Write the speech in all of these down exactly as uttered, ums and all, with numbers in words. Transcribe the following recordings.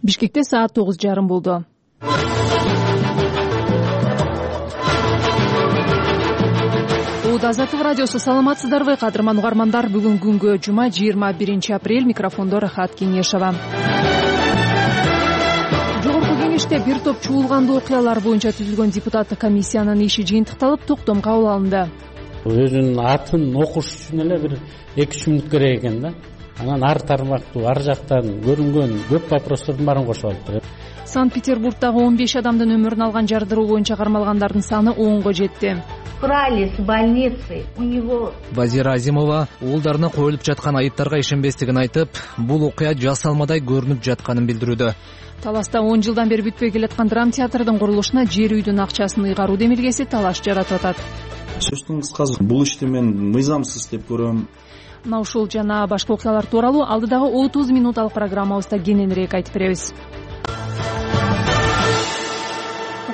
Бишкекте саат тогуз жарым болду. Азаттык радиосу, саламатсыздарбы кадырман угармандар? Бүгүн күнгө жума жыйырма биринчи апрель. Микрофондо Рахат Кеңешова. Жогорку кеңеште бир топ чуулгандуу окуялар боюнча түзүлгөн депутаттык комиссиянын иши жыйынтыкталып, токтом кабыл алынды. Өзүнүн атын окуш үчүн эле бир эки үч мүнөт керек экен да. Анан ар тармактуу, ар жактан көрүнгөн көп вопростордун баарын кошуп алыптыр. Санкт-Петербургдагы он беш адамдын өмүрүн алган жардыруу боюнча кармалгандардын саны онго жетти. Брали с больницы, у него... Базира Азимова уулдарына коюлуп жаткан айыптарга ишенбестигин айтып, бул окуя жасалмадай көрүнүп жатканын билдирүүдө. Таласта он жылдан бери бүтпөй келаткан драм театрдын курулушуна жер үйдүн акчасын ыйгаруу демилгеси талаш жаратып атат. Сөздүн кыскасы, бул ишти мен мыйзамсыз деп көрөм. Мына ушул жана башка окуялар тууралуу алдыдагы отуз минуттук программабызда кененирээк айтып беребиз.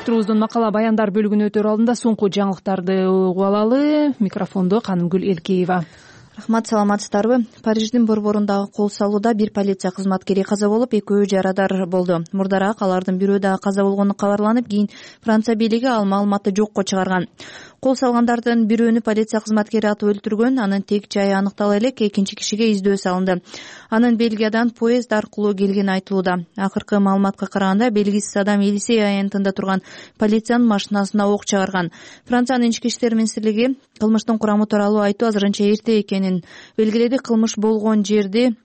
Турубуздун макала баяндар бөлүгүнө өтөр алдында соңку жаңылыктарды угуп алалы. Микрофондо Канымгүл Элкеева. Рахмат, саламатсыздарбы? Париждин борборундагы кол салууда бир полиция кызматкери каза болуп, экөө жарадар болду. Мурдараак алардын бирөө дагы каза болгону кабарланып, кийин Франция бийлиги ал маалыматты жокко чыгарган. Кол салгандардын бирөөнү полиция кызматкери атып өлтүргөн, анын тек жайы аныктала элек, экинчи кишиге издөө салынды. Анын Бельгиядан поезд аркылуу келгени айтылууда. Акыркы маалыматка караганда, белгисиз адам Елисей аянтында турган полициянын машинасына ок чыгарган. Франциянын ички иштер министрлиги кылмыштын курамы тууралуу айтуу азырынча эрте экенин белгиледи. Кылмыш болгон жерди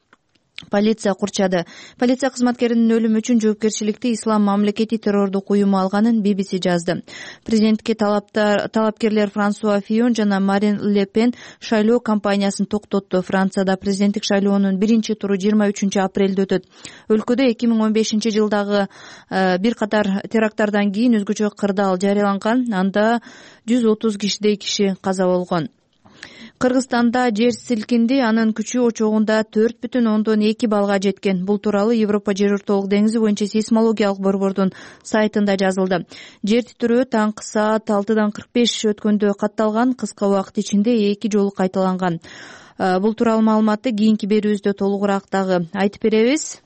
полиция курчады. Полиция кызматкеринин өлүмү үчүн жоопкерчиликти Ислам мамлекети террордук уюму алганын би би си жазды. Президентке талапкерлер Франсуа Фийон жана Марин Ле Пен шайлоо кампаниясын токтотту. Францияда президенттик шайлоонун биринчи туру жыйырма үчүнчү апрелде өтөт. Өлкөдө эки миң он бешинчи жылдагы бир катар теракттардан кийин өзгөчө кырдаал жарыяланган. Анда жүз отуз кишидей киши каза болгон. Кыргызстанда жер силкинди, анын күчү очогунда төрт бүтүн ондон эки баллга жеткен. Бул тууралуу Европа жер ортолук деңизи боюнча сейсмологиялык борбордун сайтында жазылды. Жер титирөө таңкы саат алтыдан кырк беш өткөндө катталган, кыска убакыт ичинде эки жолу кайталанган. Бул тууралуу маалыматты кийинки берүүбүздө толугураак дагы айтып беребиз.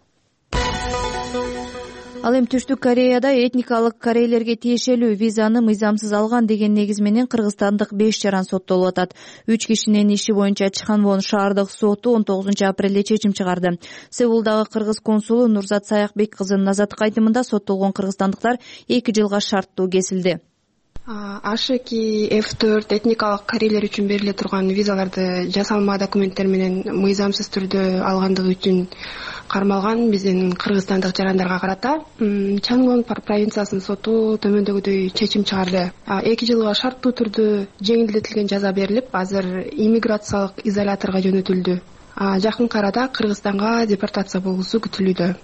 Ал эми Түштүк Кореяда этникалык корейлерге тиешелүү визаны мыйзамсыз алган деген негиз менен кыргызстандык беш жаран соттолуп атат. Үч кишинин иши боюнча Чханвон шаардык соту он тогузунчу апрелде чечим чыгарды. Сеулдагы кыргыз консулу Нурзат Саякбек кызынын азаттык айтымында соттолгон кыргызстандыктар эки жылга шарттуу кесилди. Аш эки эф төрт этникалык корейлер үчүн бериле турган визаларды жасалма документтер менен мыйзамсыз түрдө алгандыгы үчүн кармалган биздин кыргызстандык жарандарга карата Чангвон провинциясынын соту төмөндөгүдөй чечим чыгарды. Эки жылга шарттуу түрдө жеңилдетилген жаза берилип, азыр иммиграциялык изоляторго жөнөтүлдү. Жакын арада Кыргызстанга депортация болуусу күтүлүүдө.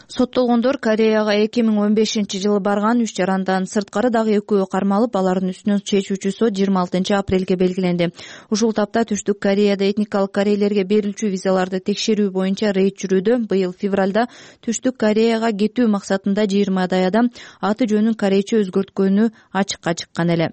Соттолгондор Кореяга эки миң он бешинчи жылы барган. Үч жарандан сырткары дагы экөө кармалып, алардын үстүнөн чечүүчү сот жыйырма алтынчы апрелге белгиленди. Ушул тапта Түштүк Кореяда этникалык корейлерге берилчү визаларды текшерүү боюнча рейд жүрүүдө. Быйыл февралда Түштүк Кореяга кетүү максатында жыйырмадай адам аты жөнүн корейче өзгөрткөнү ачыкка чыккан эле.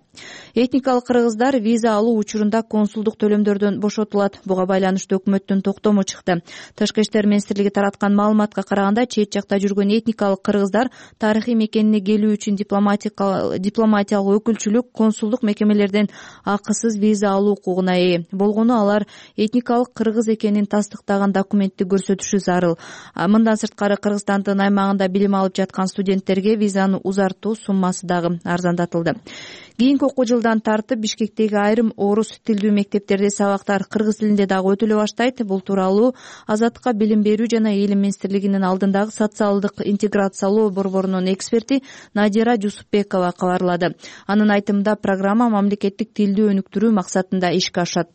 Этникалык кыргыздар виза алуу учурунда консулдук төлөмдөрдөн бошотулат. Буга байланыштуу өкмөттүн токтому чыкты. Тышкы иштер министрлиги тараткан маалыматка караганда, чет жакта жүргөн этникалык кыргыздар тарыхый мекенине келүү үчүн дипломатиялык өкүлчүлүк, консулдук мекемелерден акысыз виза алуу укугуна ээ. Болгону алар этникалык кыргыз экенин тастыктаган документти көрсөтүшү зарыл. Мындан сырткары Кыргызстандын аймагында билим алып жаткан студенттерге визаны узартуу суммасы дагы арзандатылды. Кийинки окуу жылдан тартып Бишкектеги айрым орус тилдүү мектептерде сабактар кыргыз тилинде дагы өтүлө баштайт. Бул тууралуу Азаттыкка билим берүү жана элим министрлигинин алдындагы социалдык интеграциялоо борборунун эксперти Надира Жусупбекова кабарлады. Анын айтымында, программа мамлекеттик тилди өнүктүрүү максатында ишке ашат.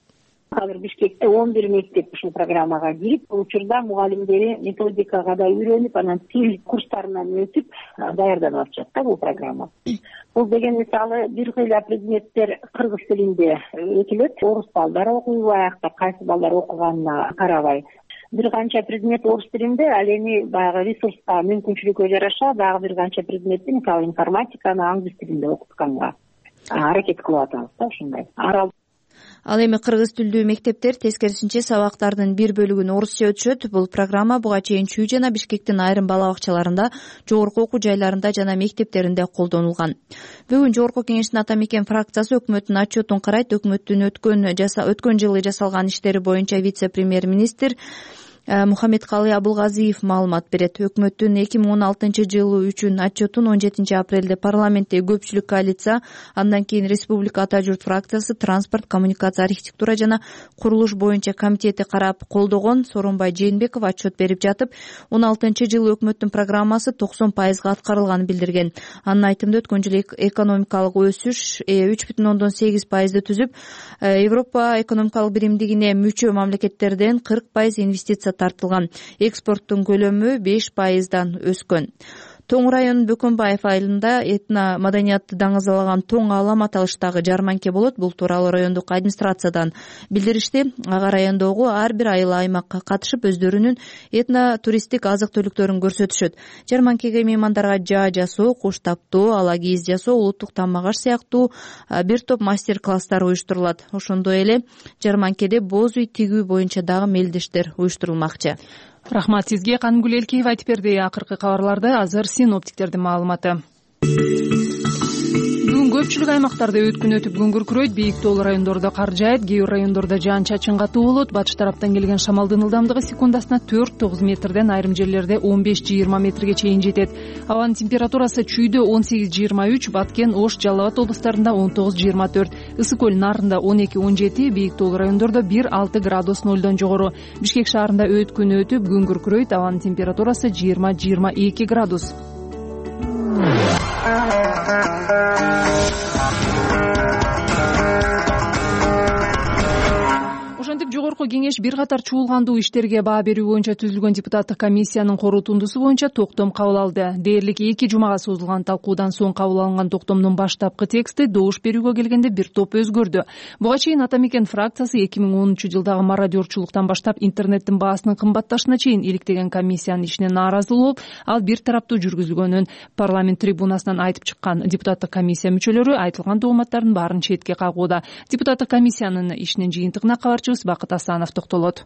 Азыр Бишкекте он бир мектеп ушул программага кирип, бул учурда мугалимдери методикага да үйрөнүп, анан тил курстарынан өтүп даярданып атышат да бул программа. Бул деген мисалы бир кыйла предметтер кыргыз тилинде өтүлөт. Орус балдар окуйбу, аякта кайсы балдар окуганына карабай. Бир канча предмет орус тилинде, ал эми баягы ресурска мүмкүнчүлүккө жараша дагы бир канча предметти, мисалы информатиканы англис тилинде окутканга аракет кылып атабыз да ушундай. Ал эми кыргыз тилдүү мектептер тескерисинче сабактардын бир бөлүгүн орусча өтүшөт. Бул программа буга чейин Чүй жана Бишкектин айрым бала бакчаларында, жогорку окуу жайларында жана мектептеринде колдонулган. Бүгүн Жогорку Кеңештин Ата Мекен фракциясы өкмөттүн отчетун карайт. Өкмөттүн өткөн өткөн жылы жасалган иштери боюнча вице-премьер-министр Мухаммедкалый Абылгазиев маалымат берет. Өкмөттүн эки миң он алтынчы жылы үчүн отчетун он жетинчи апрелде парламентте көпчүлүк коалиция, андан кийин Республика Ата журт фракциясы, транспорт, коммуникация, архитектура жана курулуш боюнча комитети карап колдогон. Сооронбай Жээнбеков отчет берип жатып, он алтынчы жылы өкмөттүн программасы токсон пайызга аткарылганын билдирген. Анын айтымында өткөн жылы экономикалык өсүш үч бүтүн ондон сегиз пайызды түзүп, Европа экономикалык биримдигине мүчө мамлекеттерден кырк пайыз инвестиция тартылган. Экспорттун көлөмү беш пайыздан өскөн. Тоң районунун Бөкөнбаев айылында этно маданиятты даңазалаган тоң алам аталыштагы жарманке болот. Бул тууралуу райондук администрациядан билдиришти. Ага райондогу ар бир айыл аймакка катышып, өздөрүнүн этно туристтик азык-түлүктөрүн көрсөтүшөт. Жарманкеге меймандарга жаа жасоо, куш таптоо, ала кийиз жасоо, улуттук тамак аш сыяктуу бир топ мастер-класстар уюштурулат. Ошондой эле жарманкеде боз үй тигүү боюнча дагы мелдештер уюштурулмакчы. Рахмат сизге. Канымгүл Элкеева айтып берди акыркы кабарларды. Азыр синоптиктердин маалыматы. Бүгүн көпчүлүк аймактарда өткүн өтүп күн күркүрөйт. Бийик тоолуу райондордо кар жаайт, кээ бир райондордо жаан-чачын катуу болот. Батыш тараптан келген шамалдын ылдамдыгы секундасына төрт тогуз метрден, айрым жерлерде он беш жыйырма метрге чейин жетет. Абанын температурасы Чүйдө он сегиз жыйырма үч, Баткен, Ош, Жалал Абад облустарында он тогуз жыйырма төрт, Ысык көл нарында он эки он жети, бийик тоолуу райондордо бир алты градус нолдон жогору. Бишкек шаарында өткүн өтүп күн күркүрөйт. Абанын температурасы жыйырма жыйырма эки градус. Ошентип Жогорку Кеңеш бир катар чуулгандуу иштерге баа берүү боюнча түзүлгөн депутаттык комиссиянын корутундусу боюнча токтом кабыл алды. Дээрлик эки жумага созулган талкуудан соң кабыл алынган токтомдун баштапкы тексти добуш берүүгө келгенде бир топ өзгөрдү. Буга чейин Ата Мекен фракциясы эки миң онунчу жылдагы мародерчулуктан баштап интернеттин баасынын кымбатташына чейин иликтеген комиссиянын ишине нааразы болуп, ал бир тараптуу жүргүзүлгөнүн парламент трибунасынан айтып чыккан. Депутаттык комиссия мүчөлөрү айтылган дооматтардын баарын четке кагууда. Депутаттык комиссиянын ишинин жыйынтыгына кабарчыбыз Бакыт Асанов токтолот.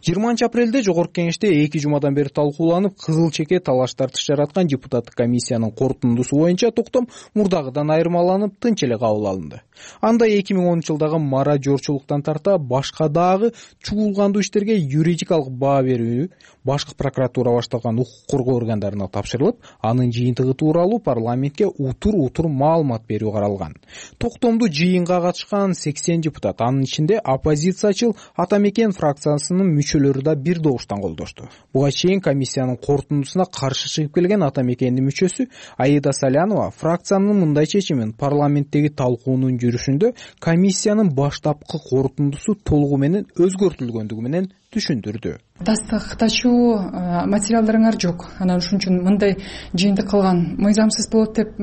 жыйырманчы апрелде Жогорку Кеңеште эки жумадан бери талкууланып, кызыл чеке талаш тартыш жараткан депутаттык комиссиянын корутундусу боюнча токтом мурдагыдан айырмаланып, тынч эле кабыл алынды. Анда эки миң онунчу жылдагы мародерчулуктан тарта башка дагы чуулгандуу иштерге юридикалык баа берүү башкы прокуратура башталган укук коргоо органдарына тапшырылып, анын жыйынтыгы тууралуу парламентке утур-утур маалымат берүү каралган. Токтомду жыйынга катышкан сексен депутат, анын ичинде оппозициячыл Ата Мекен фракциясынын мүчөлөрү да бир добуштан колдошту. Буга чейин комиссиянын корутундусуна каршы чыгып келген Ата Мекендин мүчөсү Аида Салянова фракциянын мындай чечимин парламенттеги талкуунун жүрүшүндө комиссиянын баштапкы корутундусу толугу менен өзгөртүлгөндүгү менен түшүндүрдү. Тастыктачуу материалдарыңар жок. Анан ушун үчүн мындай жыйынтык кылган мыйзамсыз болот деп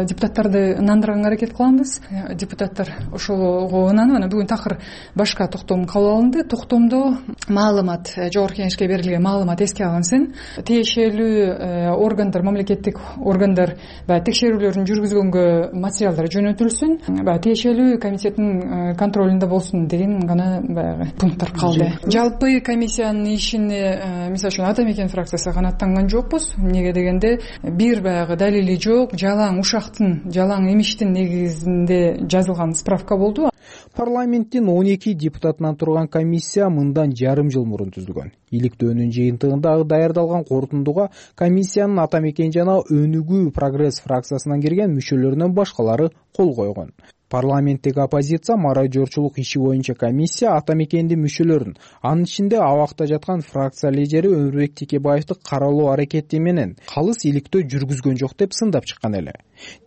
депутаттарды ынандырганга аракет кылабыз. Депутаттар ошого ынанып, анан бүгүн такыр башка токтом кабыл алынды. Токтомдо маалымат, Жогорку Кеңешке берилген маалымат эске алынсын. Тиешелүү органдар, мамлекеттик органдар баягы текшерүүлөрүн жүргүзгөнгө материалдар жөнөтүлсүн. Баягы тиешелүү комитеттин контролунда болсун деген гана баягы пункттар калды. Жалпы комиссиянын ишине, мисалы үчүн Ата Мекен фракциясы канааттанган жокпуз. Эмнеге дегенде, бир баягы далили жок, жалаң ушактын, жалаң эмиштин негизинде жазылган справка болду. Парламенттин он эки депутатынан турган комиссия мындан жарым жыл мурун түзүлгөн. Иликтөөнүн жыйынтыгындагы даярдалган корутундуга комиссиянын Ата Мекен жана Өнүгүү Прогресс фракциясынан кирген мүчөлөрүнөн башкалары кол койгон. Парламенттеги оппозиция мародерчулук иши боюнча комиссия Ата Мекендин мүчөлөрүн, анын ичинде абакта жаткан фракция лидери Өмүрбек Текебаевди каралоо аракети менен калыс иликтөө жүргүзгөн жок деп сындап чыккан эле.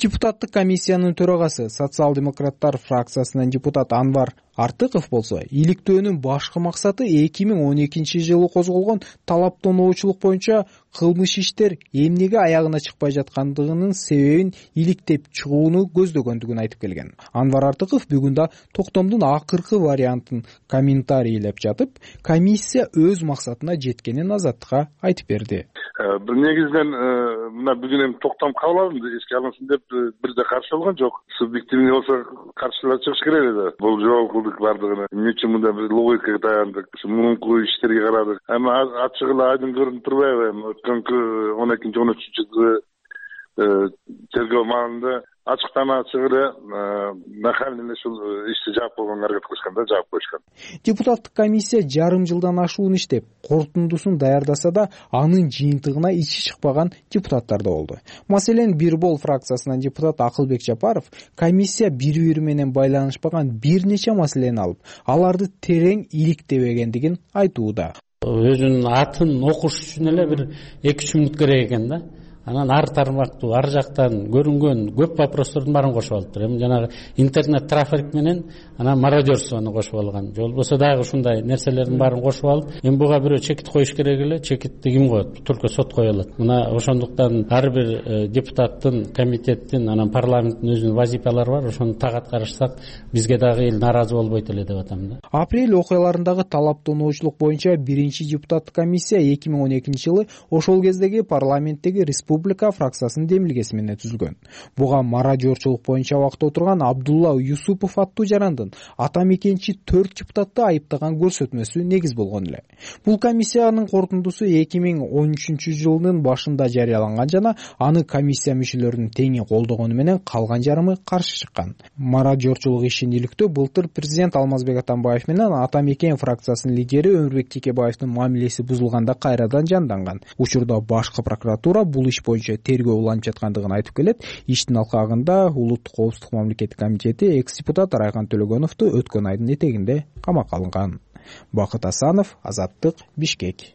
Депутаттык комиссиянын төрагасы, социал-демократтар фракциясынын депутат Анвар Артыков болсо, иликтөөнүн башкы максаты эки миң он экинчи жылы козголгон талаптоочулук боюнча кылмыш иштер эмнеге аягына чыкпай жаткандыгынын себебин иликтеп чыгууну көздөгөндүгүн айтып келген. Анвар Артыков бүгүн да токтомдун акыркы вариантын комментарийлеп жатып, комиссия өз максатына жеткенин Азаттыкка айтып берди. Бир негизинен мына бүгүн эми токтом кабыл алынды, эске алынсын деп бирде каршы болгон жок. Субъективный болсо каршылар чыгыш керек эле. Бул жолку көрдүк баардыгын. Эмне үчүн мындай бир логикага даяндык, мурунку иштерге карадык. Эми ачык эле айдын көрүнүп турбайбы? Эми өткөнкү он экинчи он үчүнчү жылы тергөө маалында ачыктан ачык эле нахален эле ушул ишти жаап койгонго аракет кылышкан да, жаап коюшкан. Депутаттык комиссия жарым жылдан ашуун иштеп, корутундусун даярдаса да, анын жыйынтыгына ичи чыкпаган депутаттар да болду. Маселен, Бир Бол фракциясынан депутат Акылбек Жапаров комиссия бири-бири менен байланышпаган бир нече маселени алып, аларды терең иликтебегендигин айтууда. Өзүнүн атын окуш үчүн эле бир эки үч мүнөт керек экен да. Анан ар тармактуу, ар жактан көрүнгөн көп вопростордун баарын кошуп алыптыр. Эми жанагы интернет трафик менен анан мародерствону кошуп алган. Же болбосо дагы ушундай нерселердин баарын кошуп алып, эми буга бирөө чекит коюш керек эле, чекитти ким коет? Только сот кое алат. Мына ошондуктан ар бир депутаттын, комитеттин, анан парламенттин өзүнүн вазифалары бар. Ошону так аткарышсак, бизге дагы эл наразы болбойт эле деп атам да. Апрель окуяларындагы талаптануучулук боюнча биринчи депутаттык комиссия эки миң он экинчи жылы ошол кездеги парламенттеги республика фракциясынын демилгеси менен түзүлгөн. Буга мародерчулук боюнча убакта отурган Абдулла Юсупов аттуу жарандын ата мекенчи төрт депутатты айыптаган көрсөтмөсү негиз болгон эле. Бул комиссиянын корутундусу эки миң он үчүнчү жылдын башында жарыяланган жана аны комиссия мүчөлөрүнүн теңи колдогону менен калган жарымы каршы чыккан. Мародерчулук ишин иликтөө былтыр президент Алмазбек Атамбаев менен ата мекен фракциясынын лидери Өмүрбек Текебаевдин мамилеси бузулганда кайрадан жанданган. Учурда башкы прокуратура бул иш боюнча тергөө уланып жаткандыгын айтып келет. Иштин алкагында Улуттук коопсуздук мамлекеттик комитети экс-депутат Райхан Төлөгөновду өткөн айдын этегинде камакка алынган. Бакыт Асанов, Азаттык, Бишкек.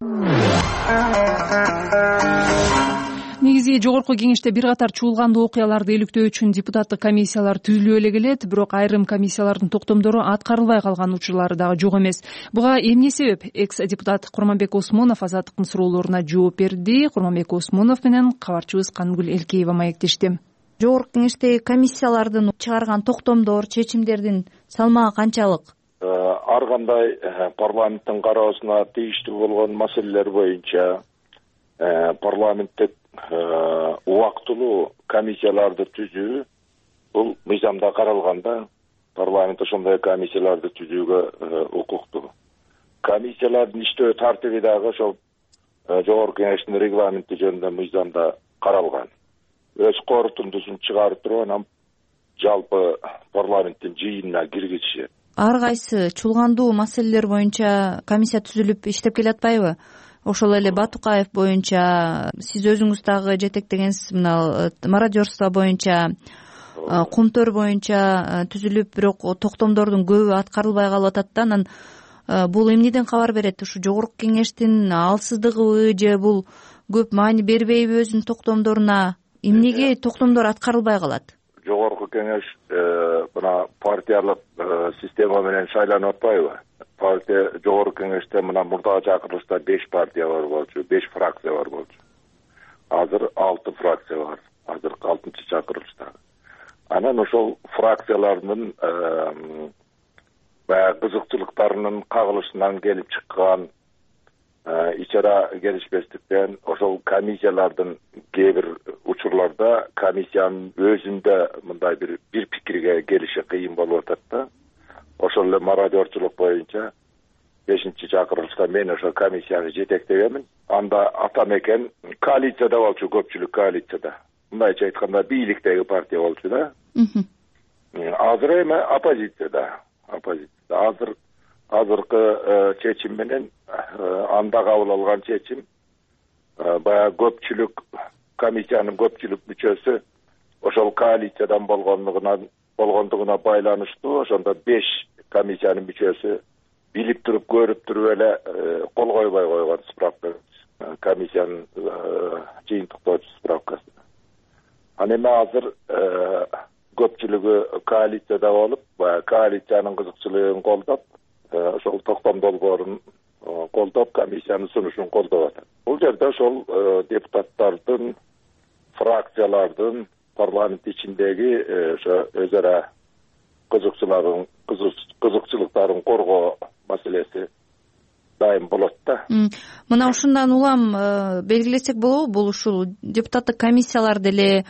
Негизи жогорку кеңеште бир катар чуулгандуу окуяларды иликтөө үчүн депутаттык комиссиялар түзүлүп эле келет, бирок айрым комиссиялардын токтомдору аткарылбай калган учурлары дагы жок эмес. Буга эмне себеп? Экс-депутат Курманбек Осмонов Азаттыктын суроолоруна жооп берди. Курманбек Осмонов менен кабарчыбыз Кангүл Элкеева маектешти. Жогорку кеңештеги комиссиялардын чыгарган токтомдор, чечимдердин салмагы канчалык? Ар кандай парламенттин кароосуна тийиштүү болгон маселелер боюнча парламенттик убактылуу комиссияларды түзүү бул мыйзамда каралган да. Парламент ошондой комиссияларды түзүүгө укуктуу. Комиссиялардын иштөө тартиби дагы ошол жогорку кеңештин регламенти жөнүндө мыйзамда каралган. Өз корутундусун чыгарып туруп анан жалпы парламенттин жыйынына киргизишет. Ар кайсы чуулгандуу маселелер боюнча комиссия түзүлүп иштеп келатпайбы? Ошол эле Батукаев боюнча, сиз өзүңүз дагы жетектегенсиз, мына мародерство боюнча, Кумтөр боюнча түзүлүп, бирок токтомдордун көбү аткарылбай калып атат да. Анан бул эмнеден кабар берет? Ушу жогорку кеңештин алсыздыгыбы же бул көп маани бербейби өзүнүн токтомдоруна? Эмнеге токтомдор аткарылбай калат? Жогорку кеңеш мына партиялык система менен шайланып атпайбы? Партия жогорку кеңеште мына мурдагы чакырылышта беш партия бар болчу, беш фракция бар болчу. Азыр алты фракция бар. Азыркы алтынчы чакырылышта. Анан ошол фракциялардын баягы кызыкчылыктарынын кагылышынан келип чыккан ичара келишпестиктен ошол комиссиялардын кээ бир учурларда комиссиянын өзүндө мындай бир бир пикирге келиши кыйын болуп атат да. Ошол эле мародерчулук боюнча бешинчи чакырылышта мен ошо комиссияны жетектегенмин. Анда ата мекен коалицияда болчу, көпчүлүк коалицияда. Мындайча айтканда бийликтеги партия болчу да. Азыр эми оппозицияда. Оппозицияда. Азыр азыркы чечим менен анда кабыл алган чечим баягы көпчүлүк комиссиянын көпчүлүк мүчөсү ошол коалициядан болгондугунан болгондугуна байланыштуу. Ошондо беш комиссиянын мүчөсү билип туруп, көрүп туруп эле кол койбой койгон справка, комиссиянын жыйынтыктоочу справкасы. Аны эми азыр көпчүлүгү коалицияда болуп, баягы коалициянын кызыкчылыгын колдоп, ошол токтом долбоорун колдоп, комиссиянын сунушун колдоп атат. Бул жерде ошол депутаттардын, фракциялардын парламент ичиндеги ошо өз ара кызыкчылыктарын кызыкчылыктарын коргоо маселеси дайым болот да. Мына ушундан улам белгилесек болобу, бул ушул депутаттык комиссиялар деле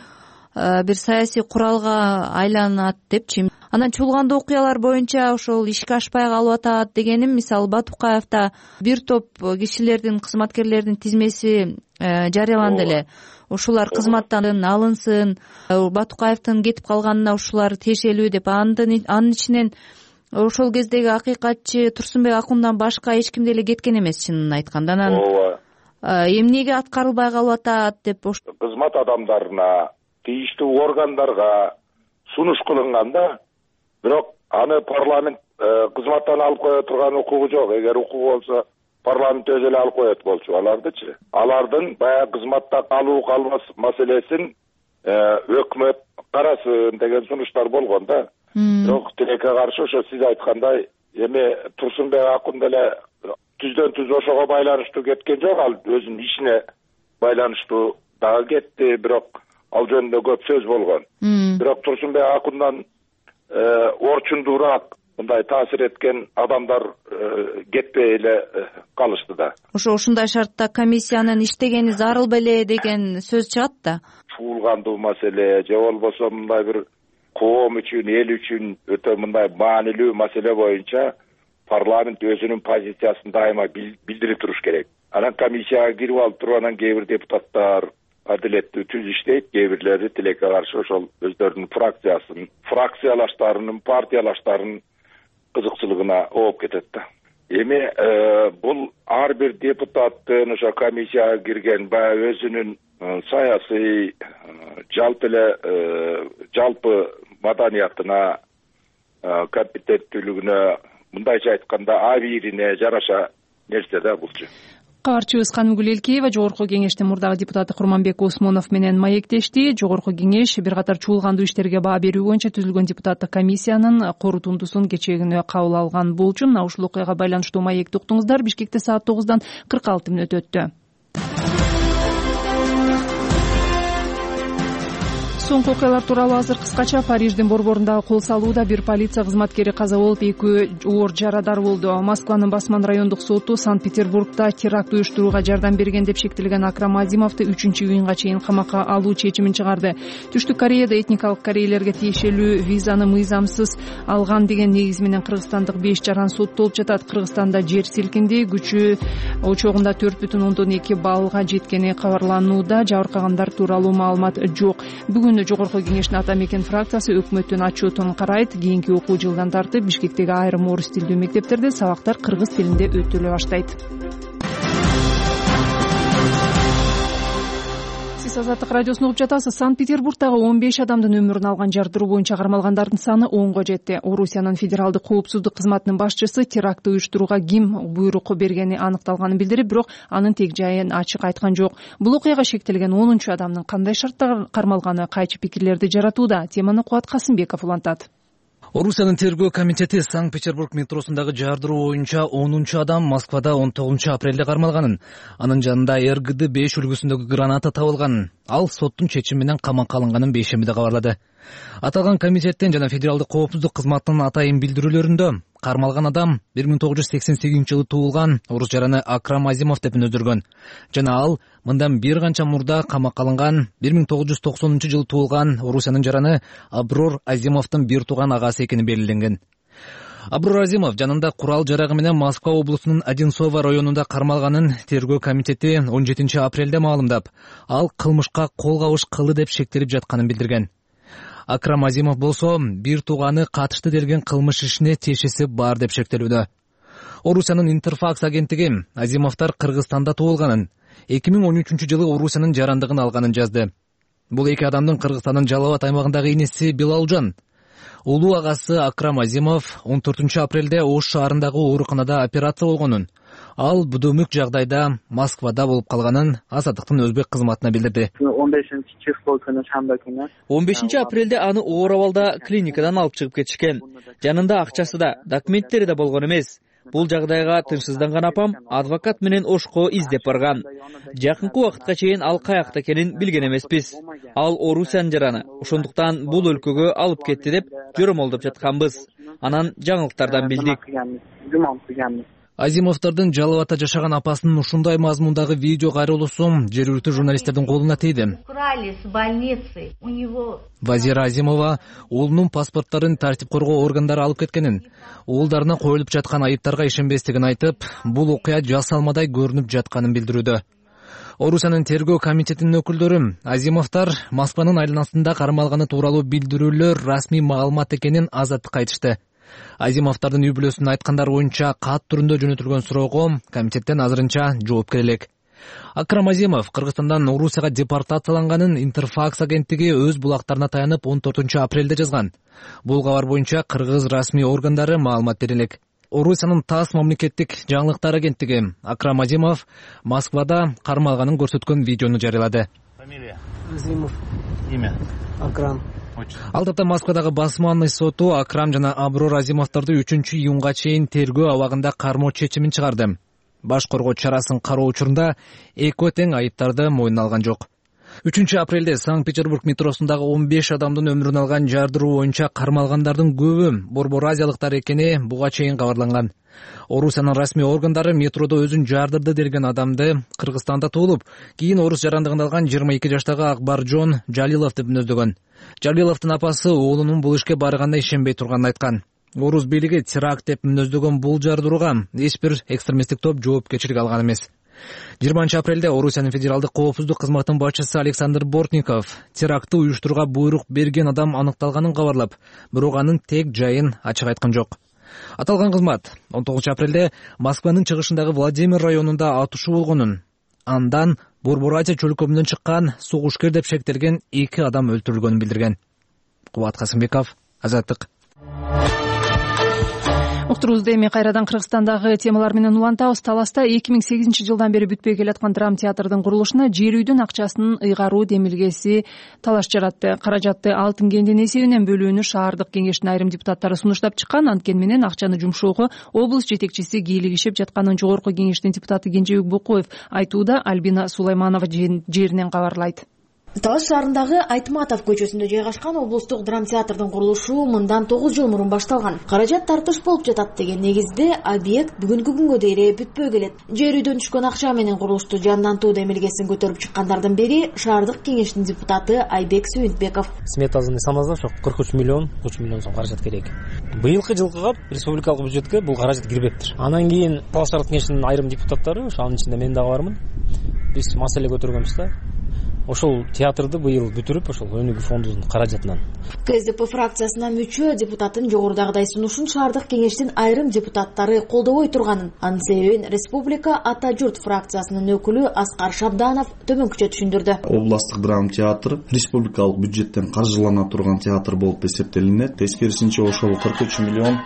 бир саясий куралга айланат депчи. Анан чуулгандуу окуялар боюнча ошол ишке ашпай калып атат дегеним, мисалы Батукаевда бир топ кишилердин, кызматкерлердин тизмеси жарыяланды эле. Ушулар кызматтан алынсын, Батукаевдин кетип калганына ушулар тиешелүү деп. Анын ичинен ошол кездеги акыйкатчы Турсунбек Акундан башка эч ким деле кеткен эмес, чынын айтканда. Анан эмнеге аткарылбай калып атат деп кызмат адамдарына, тийиштүү органдарга сунуш кылынган да, бирок аны парламент кызматтан алып кое турган укугу жок. Эгер укугу болсо парламент өзү эле алып коет болчу алардычы. Алардын баягы кызматта калуу калбас маселесин өкмөт карасын деген сунуштар болгон да. Бирок тилекке каршы ошо сиз айткандай эми Турсунбек Акун деле түздөн түз ошого байланыштуу кеткен жок, ал өзүнүн ишине байланыштуу дагы кетти, бирок ал жөнүндө көп сөз болгон. Бирок Турсунбек Акундан орчундуураак мындай таасир эткен адамдар кетпей эле калышты да. Ошо ушундай шартта комиссиянын иштегени зарыл беле деген сөз чыгат да. Чуулгандуу маселе же болбосо мындай бир коом үчүн, эл үчүн өтө мындай маанилүү маселе боюнча парламент өзүнүн позициясын дайыма билдирип туруш керек. Анан комиссияга кирип алып туруп, анан кээ бир депутаттар адилеттүү түз иштейт, кээ бирлери тилекке каршы ошол өздөрүнүн фракциясын, фракциялаштарынын, партиялаштарынын кызыкчылыгына ооп кетет да. Эми бул ар бир депутаттын ошо комиссияга кирген баягы өзүнүн саясий жалпы эле жалпы маданиятына, компетенттүүлүгүнө, мындайча айтканда абийирине жараша нерсе да булчу. Кабарчыбыз Канымгүл Элкеева Жогорку кеңештин мурдагы депутаты Курманбек Осмонов менен маектешти. Жогорку кеңеш бир катар чуулгандуу иштерге баа берүү боюнча түзүлгөн депутаттык комиссиянын корутундусун кечээ күнү кабыл алган болчу. Мына ушул окуяга байланыштуу маекти уктуңуздар. Бишкекте саат тогуздан кырк алты мүнөт өттү. Соңку окуялар тууралуу азыр кыскача. Париждин борборундагы кол салууда бир полиция кызматкери каза болуп, эки оор жарадар болду. Москванын Басман райондук соту Санкт-Петербургда теракт уюштурууга жардам берген деп шектелген Акрам Азимовду үчүнчү июнга чейин камакка алуу чечимин чыгарды. Түштүк Кореяда этникалык корейлерге тиешелүү визаны мыйзамсыз алган деген негиз менен кыргызстандык беш жаран соттолуп жатат. Кыргызстанда жер силкинди, күчү очогунда төрт бүтүн ондон эки баллга жеткени кабарланууда. Жабыркагандар тууралуу маалымат жок. Бүгүн Жогорку кеңештин Ата Мекен фракциясы өкмөттүн отчетун карайт. Кийинки окуу жылдан тартып Бишкектеги айрым орус тилдүү мектептерде сабактар кыргыз тилинде өтүлө баштайт. Азаттык радиосун угуп жатасыз. Санкт-Петербургдагы он беш адамдын өмүрүн алган жардыруу боюнча кармалгандардын саны онго жетти. Орусиянын федералдык коопсуздук кызматынын башчысы терактты уюштурууга ким буйрук бергени аныкталганын билдирип, бирок анын тег жайын ачык айткан жок. Бул окуяга шектелген онунчу адамдын кандай шарттар кармалганы кайчы пикирлерди жаратууда. Теманы Кубат Касымбеков улантат. Орусиянын тергөө комитети Санкт-Петербург метросундагы жардыруу боюнча онунчу адам Москвада он тогузунчу апрелде кармалганын. Анын жанында эр гэ дэ беш үлгүсүндөгү граната табылганын. Ал соттун чечими менен камакка алынганын бейшембиде кабарлады. Аталган комитеттин жана федералдык коопсуздук кызматынын атайын билдирүүлөрүндө кармалган адам бир миң тогуз жүз сексен сегизинчи жылы туулган орус жараны Акрам Азимов деп өнөдүргөн. Жана ал мындан бир канча мурда камакка алынган бир миң тогуз жүз токсонунчу жылы туулган Орусиянын жараны Аброр Азимовдун бир тууган агасы экени белгиленген. Аброр Азимов жанында курал жарагы менен Москва облусунун Одинцово районунда кармалганын тергөө комитети он жетинчи апрелде маалымдап, ал кылмышка кол кабыш кылды деп шектелип жатканын билдирген. Акрам Азимов болсо бир тууганы катышты делген кылмыш ишине тиешеси бар деп шектелүүдө. Орусиянын Интерфакс агенттиги Азимовдор Кыргызстанда туулганын, эки миң он үчүнчү жылы Орусиянын жарандыгын алганын жазды. Бул эки адамдын Кыргызстандын Жалал Абад аймагындагы инеси Билалжан. Улуу агасы Акрам Азимов он төртүнчү апрелде Ош шаарындагы ооруканада операция болгонун, ал будумүк жагдайда Москвада болуп калганын Азаттыктын өзбек кызматына билдирди. он бешинчи число күнү шамба күнү он бешинчи апрелде аны оор абалда клиникадан алып чыгып кетишкен. Жанында акчасы да, документтери да болгон эмес. Бул жагдайга тынчсызданган апам адвокат менен Ошко издеп барган. Жакынкы убакытка чейин ал каякта экенин билген эмеспиз. Ал Орусиянын жараны, ошондуктан бул өлкөгө алып кетти деп жөромолдоп жатканбыз. Анан жаңылыктардан билдик. Азимовдордун жалып ата жашаган апасынын ушундай мазмундагы видео кайрылуусу жергиликтүү журналисттердин колуна тийди. Украли с больницы. У него Вазира Азимова уулунун паспорттарын тартип коргоо органдары алып кеткенин, уулдарына коюлуп жаткан айыптарга ишенбестигин айтып, бул окуя жасалмадай көрүнүп жатканын билдирүүдө. Орусиянын тергөө комитетинин өкүлдөрү Азимовдор Москванын айланасында кармалганы тууралуу билдирүүлөр расмий маалымат экенин Азаттыкка айтышты. Азимовдордун үй бүлөсүнүн айткандары боюнча кат түрүндө жөнөтүлгөн суроого комитеттен азырынча жооп бере элек. Акрам Азимов Кыргызстандан Орусияга депортацияланганын Интерфакс агенттиги өз булактарына таянып он төртүнчү апрелде жазган. Бул кабар боюнча кыргыз расмий органдары маалымат бере элек. Орусиянын ТАСС мамлекеттик жаңылыктар агенттиги Акрам Азимов Москвада кармалганын көрсөткөн видеону жарыялады. Фамилия? Азимов. Имя? Акрам. Ал тапта Москвадагы басманный соту Акрам жана Аброр Азимовдорду үчүнчү июнга чейин тергөө абагында кармоо чечимин чыгарды. Баш коргоо чарасын кароо учурунда экөө тең айыптарды мойнуна алган жок. үчүнчү апрелде Санкт-Петербург метросундагы он беш адамдын өмүрүн алган жардыруу боюнча кармалгандардын көбү борбор азиялыктар экени буга чейин кабарланган. Орусиянын расмий органдары метродо өзүн жардырды делген адамды Кыргызстанда туулуп, кийин орус жарандыгын алган жыйырма эки жаштагы Акбаржон Жалилов деп мүнөздөгөн. Жалиловдун апасы уулунун бул ишке барганына ишенбей турганын айткан. Орус бийлиги теракт деп мүнөздөгөн бул жардырууга эч бир экстремисттик топ жоопкерчилик алган эмес. жыйырманчы апрелде Орусиянын федералдык коопсуздук кызматынын башчысы Александр Бортников терактты уюштурууга буйрук берген адам аныкталганын кабарлап, бирок анын тек жайын ачык айткан жок. Аталган кызмат он тогузунчу апрелде Москванын чыгышындагы Владимир районунда атышуу болгонун, андан Борбор Азия чөлкөмүнөн чыккан согушкер деп шектелген эки адам өлтүрүлгөнүн билдирген. Кубат Касымбеков, Азаттык. Уктуруубузду эми кайрадан Кыргызстандагы темалар менен улантабыз. Таласта эки миң сегизинчи жылдан бери бүтпөй келаткан драма театрдын курулушуна жер үйдүн акчасынын ыйгаруу демилгеси талаш жаратты. Каражатты алтын кендин эсебинен бөлүүнү шаардык кеңештин айрым депутаттары сунуштап чыккан. Анткени менен акчаны жумшоого облус жетекчиси кийлигишип жатканын жогорку кеңештин депутаты Кенжебек Букоев айтууда. Альбина Сулайманова жеринен кабарлайт. Талаш шаарындагы Айтматов көчөсүндө жайгашкан облустук драма театрдын курулушу мындан тогуз жыл мурун башталган. Каражат тартыш болуп жатат деген негизде объект бүгүнкү күнгө дейре бүтпөй келет. Жер үйдөн түшкөн акча менен курулушту жандантуу демилгесин көтөрүп чыккандардын бири шаардык кеңештин депутаты Айбек Сүйүнтбеков. Сметасын санасак, ошо кырк үч миллион, үч миллион сом каражат керек. Быйылкы жылкыга республикалык бюджетке бул каражат кирбептир. Анан кийин Талаш шаардык кеңештин айрым депутаттары, ошо анын ичинде мен дагы бармын. Биз маселе көтөргөнбүз да. Ошол театрды быйыл бүтүрүп, ошол өнүгүү фондунун каражатынан. КСДП фракциясына мүчө депутаттын жогорудагыдай сунушун шаардык кеңештин айрым депутаттары колдобой турганын, анын себебин Республика Ата журт фракциясынын өкүлү Аскар Шабданов төмөнкүчө түшүндүрдү. Областтык драма театры республикалык бюджеттен каржылана турган театр болуп эсептелинет. Тескерисинче ошол кырк үч миллион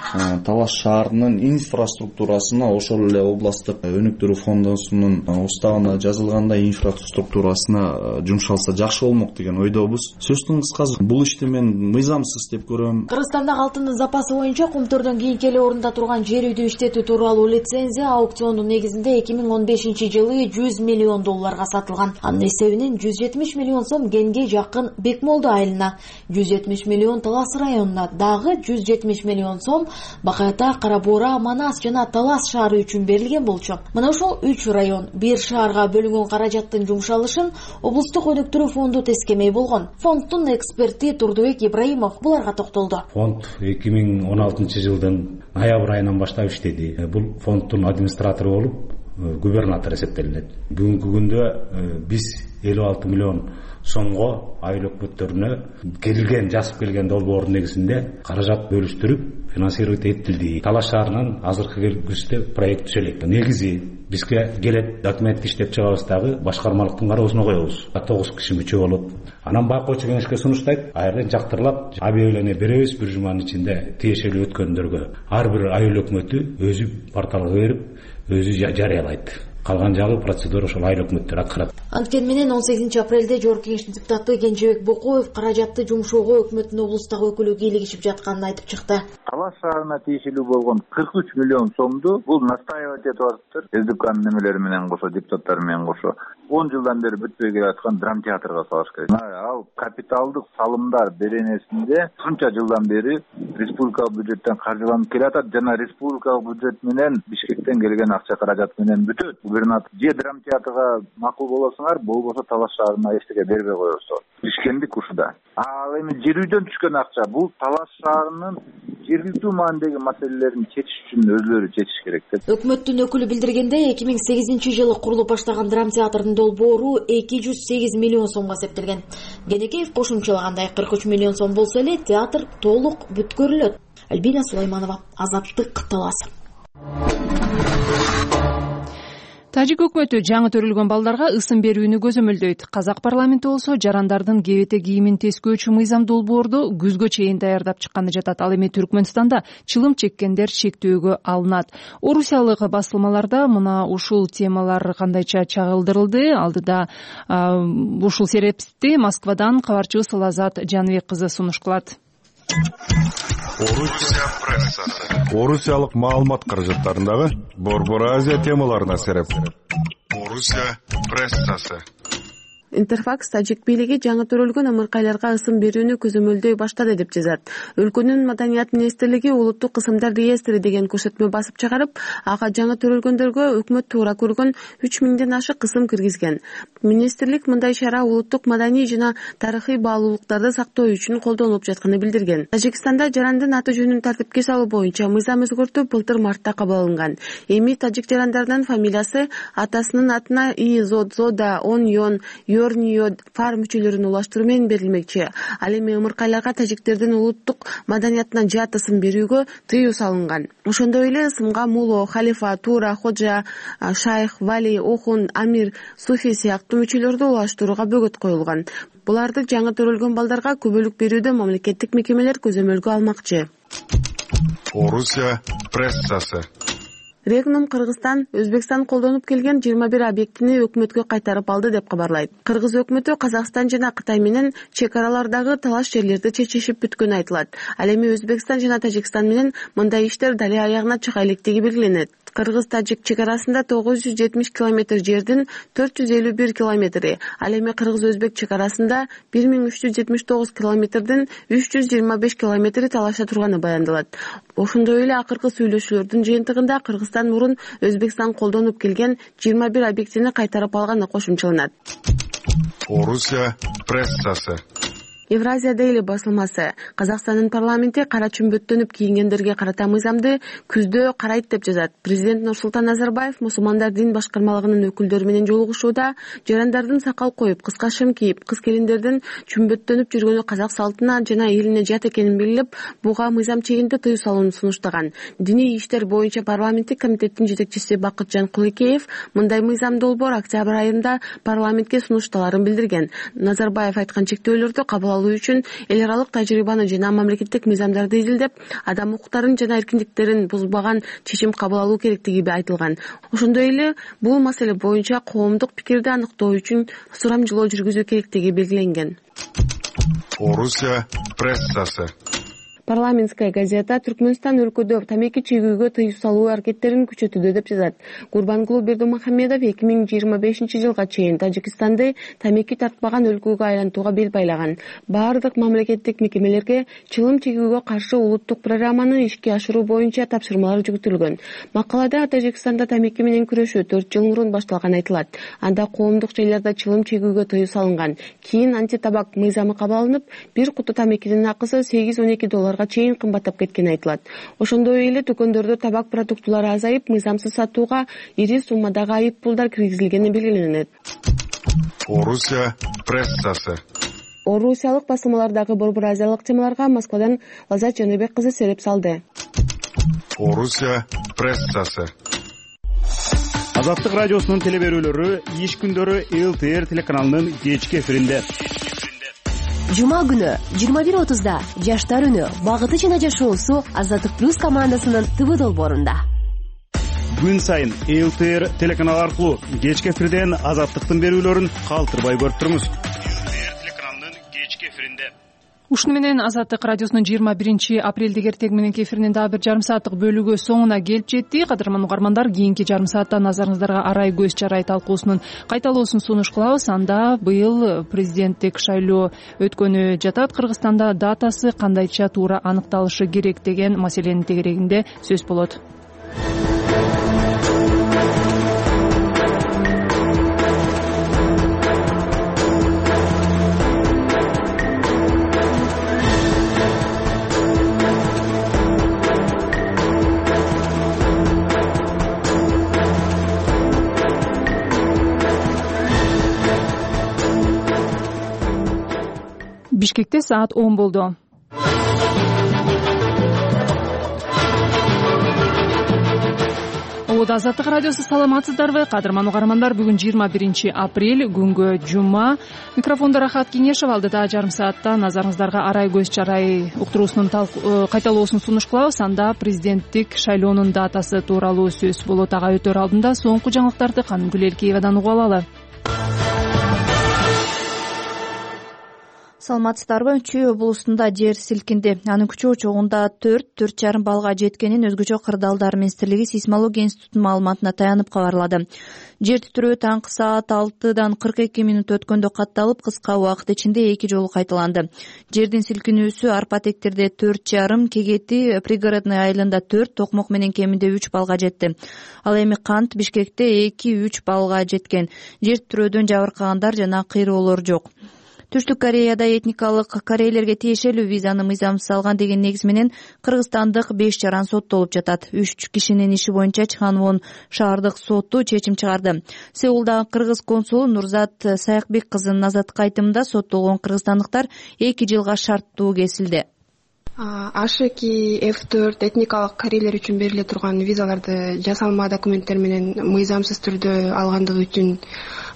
Талаш шаарынын инфраструктурасына, ошол эле областтык өнүктүрүү фондунун уставына жазылгандай инфраструктурасына жумшалса жакшы болмок деген ойдобуз. Сөздүн кыскасы, бул ишти мен мыйзамсыз деп көрөм. Кыргызстандагы алтындын запасы боюнча кумтөрдөн кийинки эле орунда турган жер үйдү иштетүү тууралуу лицензия аукциондун негизинде эки миң он бешинчи жылы жүз миллион долларга сатылган. Анын эсебинен жүз жетимиш миллион сом Генге жакын Бекмолду айылына, жүз жетимиш миллион Талас районуна, дагы жүз жетимиш миллион сом Бакай Ата, Кара Буура, Манас жана Талас шаары үчүн берилген болчу. Мына ошол үч район бир шаарга бөлүнгөн каражаттын жумшалышын облустук өнүктүрүү фонду тескемей болгон. Фонддун эксперти Турдубек Ибраимов буларга токтолду. Фонд эки миң он алтынчы жылдын ноябрь айынан баштап иштеди. Бул фонддун администратору болуп губернатор эсептелинет. Бүгүнкү күндө биз элүү алты миллион сомго айыл өкмөттөрүнө келген, жазып келген долбоордун негизинде каражат бөлүштүрүп финансировать этилди. Талаш шаарынан азыркы келгүстө проект түзөлөт. Негизи бизге келет документ иштеп чыгабыз дагы башкармалыктын кароосуна коебуз. тогуз киши мүчө болуп, анан байкоочу кеңешке сунуштайт, айрын жактырылап объявление беребиз бир жуманын ичинде тиешелүү өткөндөргө. Ар бир айыл өкмөтү өзү порталга берип, өзү жарыялайт. Калган жагы процедура ошол айыл өкмөттөр аткарат. Анткени менен он сегизинчи апрелде Жогорку Кеңештин депутаты Кенжебек Бокоев каражатты жумшоого өкмөттүн облустагы өкүлү кийлигишип жатканын айтып чыкты. Талаш шаарына тиешелүү болгон кырк үч миллион сомду бул настаивать этип атыптыр. СДКнын немелери менен кошо, депутаттары менен кошо он жылдан бери бүтпөй келаткан драм театрга салыш керек. Ал капиталдык салымдар беренесинде ушунча жылдан бери республикалык бюджеттен каржыланып келатат жана республикалык бюджет менен Бишкектен келген акча каражат менен бүтөт. Губернатор же драм театрга макул болосуңар, болбосо Талаш шаарына эчтеке бербей коебуз. Бишкендик ушуда. Ал эми жер үйдөн түшкөн акча бул Талаш шаарынын жергиликтүү маанидеги маселелерин чечиш үчүн өзүлөрү чечиш керек деп. Өкмөттүн өкүлү билдиргендей, эки миң сегизинчи жылы курулуп баштаган драм театрдын долбоору эки жүз сегиз миллион сомго эсептелген. Кенекеев кошумчалагандай кырк үч миллион сом болсо эле театр толук бүткөрүлөт. Альбина Сулайманова, Азаттык, Талас. Тажик өкмөтү жаңы төрөлгөн балдарга ысым берүүнү көзөмөлдөйт. Казак парламенти болсо жарандардын кебете кийимин тескөөчү мыйзам долбоорду күзгө чейин даярдап чыкканы жатат. Ал эми Түркмөнстанда чылым чеккендер шектөөгө алынат. Орусиялык басылмаларда мына ушул темалар кандайча чагылдырылды. Алдыда ушул серепти Москвадан кабарчыбыз Лазат Жаныбек кызы сунуш кылат. Орусия прессасы. Орусиялык маалымат каражаттарындагы Борбор Азия темаларына сереп. Орусия прессасы. Интерфакс Тажик бийлиги жаңы төрөлгөн ымыркайларга ысым берүүнү көзөмөлдөй баштады деп жазат. Өлкөнүн Маданият министрлиги улуттук ысымдар реестри деген көрсөтмө басып чыгарып, ага жаңы төрөлгөндөргө өкмөт туура көргөн үч миңден ашык ысым киргизген. Министрлик мындай чара улуттук маданий жана тарыхый баалуулуктарды сактоо үчүн колдонулуп жатканын билдирген. Тажикстанда жарандын аты жөнүн тартипке салуу боюнча мыйзам өзгөртүү былтыр мартта кабыл алынган. Эми тажик жарандарынын фамилиясы атасынын атына И, Зод, Зода, Он, Йон, Йорнио, Фар мүчөлөрүн улаштыруу менен берилмекчи. Ал эми ымыркайларга тажиктердин улуттук маданиятынан жат ысым берүүгө тыюу салынган. Ошондой эле ысымга муло, халифа, тура, ходжа, шайх, вали, охун, амир, суфи сыяктуу мүчөлөрдү улаштырууга бөгөт коюлган. Буларды жаңы төрөлгөн балдарга көбөлүк берүүдө мамлекеттик мекемелер көзөмөлгө алмакчы. Орусия прессасы. Регнум Кыргызстан Өзбекстан колдонуп келген жыйырма бир объектини өкмөткө кайтарып алды деп кабарлайт. Кыргыз өкмөтү Казакстан жана Кытай менен чек аралардагы талаш жерлерди чечишип бүткөнү айтылат. Ал эми Өзбекстан жана Тажикстан менен мындай иштер дали аягына чыга электиги белгиленет. Кыргыз-Тажик чек арасында тогуз жүз жетимиш километр жердин төрт жүз элүү бир километри, ал эми Кыргыз-Өзбек чек арасында бир миң үч жүз жетимиш тогуз километрдин үч жүз жыйырма беш километри талашта турганы баяндалат. Ошондой эле акыркы сүйлөшүүлөрдүн жыйынтыгында Кыргызстан мурун Өзбекстан колдонуп келген жыйырма бир объектини кайтарып алганы кошумчаланат. Орусия прессасы. Евразия Дейли басылмасы Казакстандын парламенти кара чүмбөттөнүп кийингендерге карата мыйзамды күздө карайт деп жазат. Президент Нурсултан Назарбаев мусулмандар дин башкармалыгынын өкүлдөрү менен жолугушууда жарандардын сакал коюп, кыска шым кийип, кыз келиндердин чүмбөттөнүп жүргөнү казак салтына жана элине жат экенин билип, буга мыйзам чегинде тыюу салууну сунуштаган. Диний иштер боюнча парламенттик комитеттин жетекчиси Бакытжан Кулыкеев мындай мыйзам долбоор октябрь айында парламентке сунушталарын билдирген. Назарбаев айткан чектөөлөрдү кабыл үчүн эл аралык тажрыйбаны жана мамлекеттик мыйзамдарды изилдеп, адам укуктарын жана эркиндиктерин бузбаган чечим кабыл алуу керектиги айтылган. Ошондой эле бул маселе боюнча коомдук пикирди аныктоо үчүн сурамжылоо жүргүзүү керектиги белгиленген. Орусия прессасы. Парламентская газета Түркмөнстан өлкөдө тамеки чегүүгө тыюу салуу аракеттерин күчөтүүдө деп жазат. Гурбангулу Бердимухамедов эки миң жыйырма бешинчи жылга чейин Тажикстанды тамеки тартпаган өлкөгө айлантууга бел байлаган. Баардык мамлекеттик мекемелерге чылым чегүүгө каршы улуттук программаны ишке ашыруу боюнча тапшырмалар жүктөлгөн. Макалада Тажикстанда тамеки менен күрөшүү төрт жыл мурун башталган айтылат. Анда коомдук жайларда чылым чегүүгө тыюу салынган. Кийин антитабак мыйзамы кабыл алынып, бир куту тамекинин акысы сегиз он эки долларга чейин кымбаттап кеткени айтылат. Ошондой эле дүкөндөрдө табак продуктулары азайып, мыйзамсыз сатууга ири суммадагы айып пулдар киргизилгени белгиленет. Орусия прессасы. Орусиялык басылмалардагы борбор азиялык темаларга Москвадан Лазат Жаныбек кызы сереп салды. Орусия прессасы. Азаттык радиосунун телеберүүлөрү иш күндөрү эл тэ эр телеканалынын кечки эфиринде. Жума күнү жыйырма бир отузда Жаштар үнү багыты жана жашоосу Азаттык плюс командасынын ТВ долбоорунда. күн сайын эл тэ эр телеканалы аркылуу кечки эфирден Азаттыктын берүүлөрүн калтырбай көрүп туруңуз. эл тэ эр телеканалынын кечки эфиринде. Ушуну менен Азаттык радиосунун жыйырма биринчи апрелдеги эртең мененки эфиринин дагы бир жарым сааттык бөлүгү соңуна келип жетти. Кадырман угармандар, кийинки жарым саатта назарыңыздарга арай көз чарай талкуусунун кайталоосун сунуш кылабыз. Анда быйыл президенттик шайлоо өткөнү жатат. Кыргызстанда датасы кандайча туура аныкталышы керек деген маселенин тегерегинде сөз болот. Бишкекте саат он болду. Обод Азаттык радиосу, саламатсыздарбы? Кадырман угармандар, бүгүн жыйырма биринчи апрель, күнгө жума. Микрофондо Рахат Кеңешов, алдыда жарым саатта назарыңыздарга арай көз чарай уктуруусунун кайталоосун сунуш кылабыз. Анда президенттик шайлоонун датасы тууралуу сөз болот. Ага өтөр алдында соңку жаңылыктарды Канымгүл Элкеевадан угуп алалы. Саламатсыздарбы? Чүй облусунда жер силкинди. Анын күчү учугунда төрт төрт жарым баллга жеткенин өзгөчө кырдаалдар министрлиги сейсмология институтунун маалыматына таянып кабарлады. Жер титирөө таңкы саат алтыдан кырк эки мүнөт өткөндө катталып, кыска убакыт ичинде эки жолу кайталанды. Жердин силкинүүсү Арпатектерде төрт жарым, Кегети пригородный айылында төрт, Токмок менен кеминде үч баллга жетти. Ал эми Кант Бишкекте эки үч баллга жеткен. Жер титирөөдөн жабыркагандар жана кыйроолор жок. Түштүк Кореяда этникалык корейлерге тиешелүү визаны мыйзамсыз алган деген негиз менен кыргызстандык беш жаран соттолуп жатат. Үч кишинин иши боюнча Чханвон шаардык соту чечим чыгарды. Сеулдагы кыргыз консулу Нурзат Саякбек кызынын азаттыкка айтымында соттолгон кыргызстандыктар эки жылга шарттуу кесилди. Ашеки эф төрт этникалык корейлер үчүн бериле турган визаларды жасалма документтер менен мыйзамсыз түрдө алгандыгы үчүн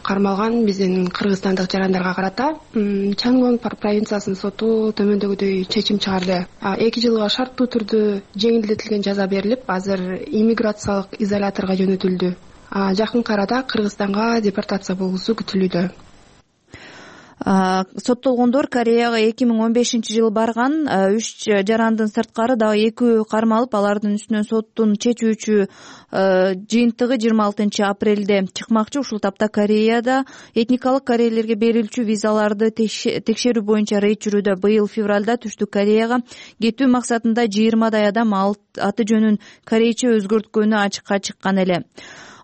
кармалган биздин кыргызстандык жарандарга карата Чангвон провинциясынын соту төмөндөгүдөй чечим чыгарды. эки жылга шарттуу түрдө жеңилдетилген жаза берилип, азыр иммиграциялык изоляторго жөнөтүлдү. Жакынкы арада Кыргызстанга депортация болуусу күтүлүүдө. Соттолгондор Кореяга эки миң он бешинчи жылы барган. Үч жарандын сырткары дагы экөө кармалып, алардын үстүнөн соттун чечүүчү жыйынтыгы жыйырма алтынчы апрелде чыкмакчы. Ушул тапта Кореяда этникалык корейлерге берилчү визаларды текшерүү боюнча рейд жүрүүдө. Быйыл февралда Түштүк Кореяга кетүү максатында жыйырмадай адам аты жөнүн корейче өзгөрткөнү ачыкка чыккан эле.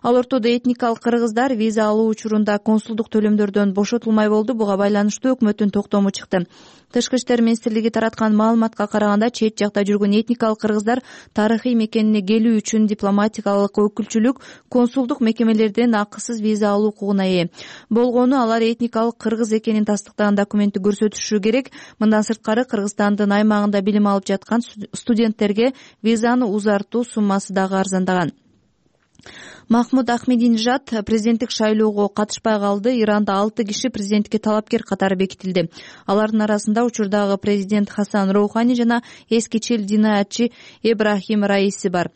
Ал ортодо этникалык кыргыздар виза алуу учурунда консулдук төлөмдөрдөн бошотулмай болду. Буга байланыштуу өкмөттүн токтому чыкты. Тышкы иштер министрлиги тараткан маалыматка караганда, чет жакта жүргөн этникалык кыргыздар тарыхый мекенине келүү үчүн дипломатикалык өкүлчүлүк, консулдук мекемелерден акысыз виза алуу укугуна ээ. Болгону алар этникалык кыргыз экенин тастыктаган документти көрсөтүшү керек. Мындан сырткары Кыргызстандын аймагында билим алып жаткан студенттерге визаны узартуу суммасы дагы арзандаган. Махмуд Ахмединежад президенттик шайлоого катышпай калды. Иранда алты киши президенттикке талапкер катары бекитилди. Алардын арасында учурдагы президент Хасан Роухани жана эски чил динаятчы Эбрахим Раиси бар.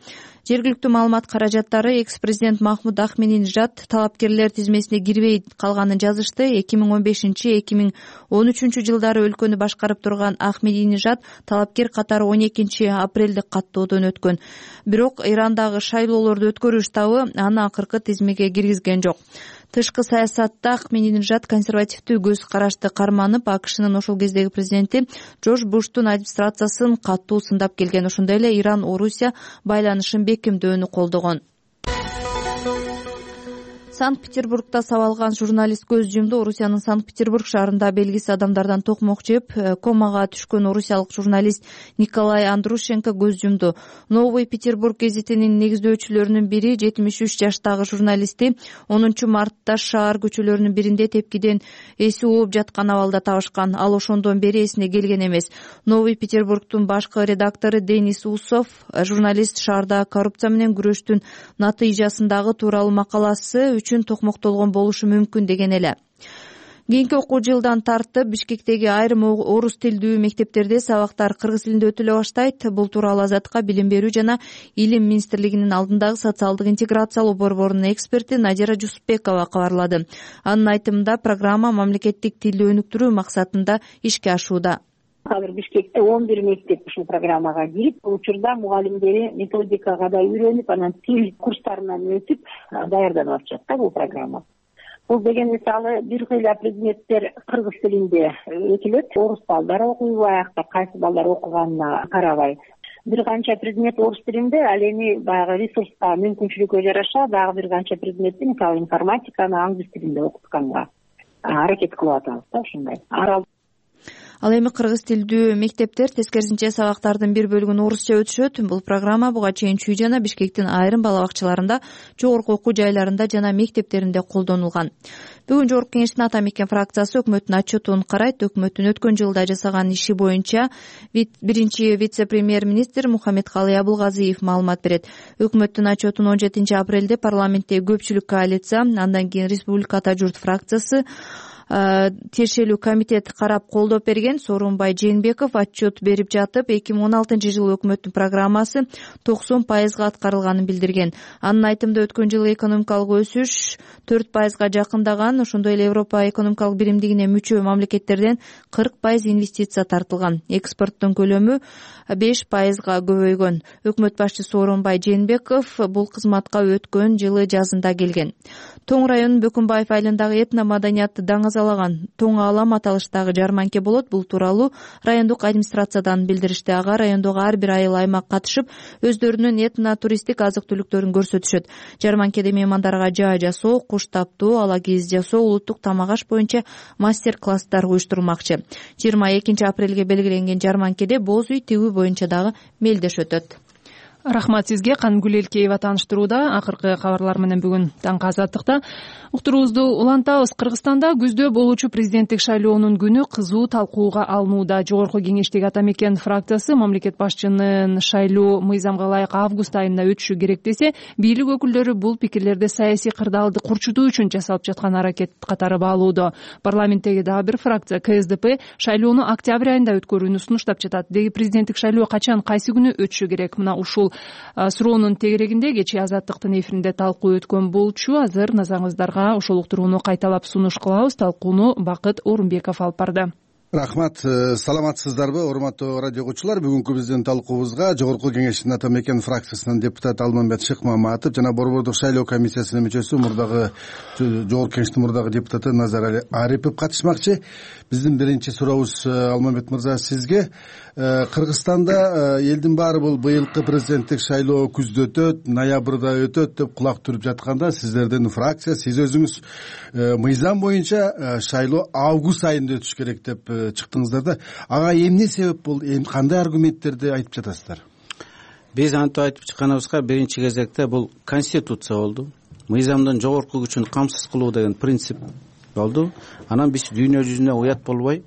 Жергиликтүү маалымат каражаттары экс-президент Махмуд Ахмединежад талапкерлер тизмесине кирбей калганын жазышты. эки миң он бешинчи — эки миң он үчүнчү жылдары өлкөнү башкарып турган Ахмединежад талапкер катары он экинчи апрелде каттоодон өткөн. Бирок Ирандагы шайлоолорду өткөрүү штабы аны акыркы тизмеге киргизген жок. Тышкы саясатта Ахмединежад консервативдүү көз карашты карманып, АКШнын ошол кездеги президенти Джордж Буштун администрациясын катуу сындап келген. Ошондой эле Иран-Орусия байланышын бекемдөөнү колдогон. Санкт-Петербургда сабалган журналист көз жумду. Орусиянын Санкт-Петербург шаарында белгисиз адамдардан токмок жеп, комага түшкөн орусиялык журналист Николай Андрушенко көз жумду. Новый Петербург гезитинин негиздөөчүлөрүнүн бири жетимиш үч жаштагы журналистти онунчу мартта шаар көчөлөрүнүн биринде тепкиден эси ооп жаткан абалда табышкан. Ал ошондон бери эсине келген эмес. Новый Петербургдун башкы редактору Денис Усов журналист шаарда коррупция менен күрөштүн натыйжасындагы тууралуу макаласы үчүн токмоктолгон болушу мүмкүн деген эле. Кийинки окуу жылдан тартып Бишкектеги айрым орус тилдүү мектептерде сабактар кыргыз тилинде өтүлө баштайт. Бул тууралуу Азаттыкка Билим берүү жана Илим министрлигинин алдындагы социалдык интеграциялоо борборунун эксперти Надира Жусупбекова кабарлады. Анын айтымында программа мамлекеттик тилди өнүктүрүү максатында ишке ашууда. Азыр Бишкекте он бир мектеп ушул программага кирип, бул учурда мугалимдери методикага да үйрөнүп, анан тил курстарынан өтүп даярданып атышат да бул программа. Бул деген мисалы бир кыйла предметтер кыргыз тилинде өтүлөт. Орус балдар окуйбу, аякта кайсы балдар окуганына карабай. Бир канча предмет орус тилинде, ал эми баягы ресурска мүмкүнчүлүккө жараша дагы бир канча предметти, мисалы информатиканы англис тилинде окутканга аракет кылып атабыз да ушундай. Ал эми кыргыз тилдүү мектептер тескерисинче сабактардын бир бөлүгүн орусча өтүшөт. Бул программа буга чейин Чүй жана Бишкектин айрым бала бакчаларында, жогорку окуу жайларында жана мектептеринде колдонулган. Бүгүн Жогорку Кеңештин Ата Мекен фракциясы өкмөттүн отчетун карайт. Өкмөттүн өткөн жылда жасаган иши боюнча биринчи вице-премьер-министр Мухаммедкалый Абылгазиев маалымат берет. Өкмөттүн отчетун он жетинчи апрелде парламентте көпчүлүк коалиция, андан кийин Республика Ата журт фракциясы, тиешелүү комитет карап колдоп берген. Сооронбай Жээнбеков отчет берип жатып, эки миң он алтынчы жылы өкмөттүн программасы токсон пайызга аткарылганын билдирген. Анын айтымында өткөн жылы экономикалык өсүш төрт пайызга жакындаган, ошондой эле Европа экономикалык биримдигине мүчө мамлекеттерден кырк пайыз инвестиция тартылган. Экспорттун көлөмү беш пайызга көбөйгөн. Өкмөт башчысы Сооронбай Жээнбеков бул кызматка өткөн жылы жазында келген. Тоң районунун Бөкөнбаев айылындагы этно маданиятты даңазалаган Тоң Алам аталыштагы жарманке болот. Бул тууралуу райондук администрациядан билдиришти. Ага райондогу ар бир айыл аймак катышып, өздөрүнүн этно туристтик азык-түлүктөрүн көрсөтүшөт. Жарманкеде меймандарга жаа жасоо, куш таптоо, ала кийиз жасоо, улуттук тамак аш боюнча мастер-класстар уюштурулмакчы. жыйырма экинчи апрелге белгиленген жарманкеде боз үй тигүү боюнча дагы мелдеш өтөт. Рахмат сизге. Каныкүл Элкеева тааныштырууда. Акыркы кабарлар менен бүгүн таңкы Азаттыкта уктуруубузду улантабыз. Кыргызстанда күздө болуучу президенттик шайлоонун күнү кызуу талкууга алынууда. Жогорку Кеңештеги Ата Мекен фракциясы мамлекет башчынын шайлоо мыйзамга ылайык август айында өтүшү керек десе, бийлик өкүлдөрү бул пикирлерди саясий кырдаалды курчутуу үчүн жасалып жаткан аракет катары баалоодо. Парламенттеги дагы бир фракция Ка Эс Д П шайлоону октябрь айында өткөрүүнү сунуштап жатат. Деги президенттик шайлоо качан, кайсы күнү өтүшү керек? Мына ушул суроонун тегерегинде кечээ Азаттыктын эфиринде талкуу өткөн болчу. Азыр назарыңыздарга ошол уктурууну кайталап сунуш кылабыз. Талкууну Бакыт Орунбеков алып барды. Рахмат. Саламатсыздарбы, урматтуу радио угуучулар? Бүгүнкү биздин талкуубузга Жогорку Кеңештин Ата Мекен фракциясынын депутаты Алмамбет Шыкмаматов жана Борбордук шайлоо комиссиясынын мүчөсү, мурдагы Жогорку Кеңештин мурдагы депутаты Назар Арипов катышмакчы. Биздин биринчи сурообуз, Алмамбет мырза, сизге. Кыргызстанда элдин баары бул быйылкы президенттик шайлоо күздө өтөт, ноябрда өтөт деп кулак түрүп жатканда, сиздердин фракция, сиз өзүңүз мыйзам боюнча шайлоо август айында өтүш керек деп чыктыңыздар да. Ага эмне себеп болду? Эми кандай аргументтерди айтып жатасыздар? Биз антип айтып чыкканыбызга биринчи кезекте бул конституция болду. Мыйзамдын жогорку күчүн камсыз кылуу деген принцип болду. Анан биз дүйнө жүзүнө уят болбой,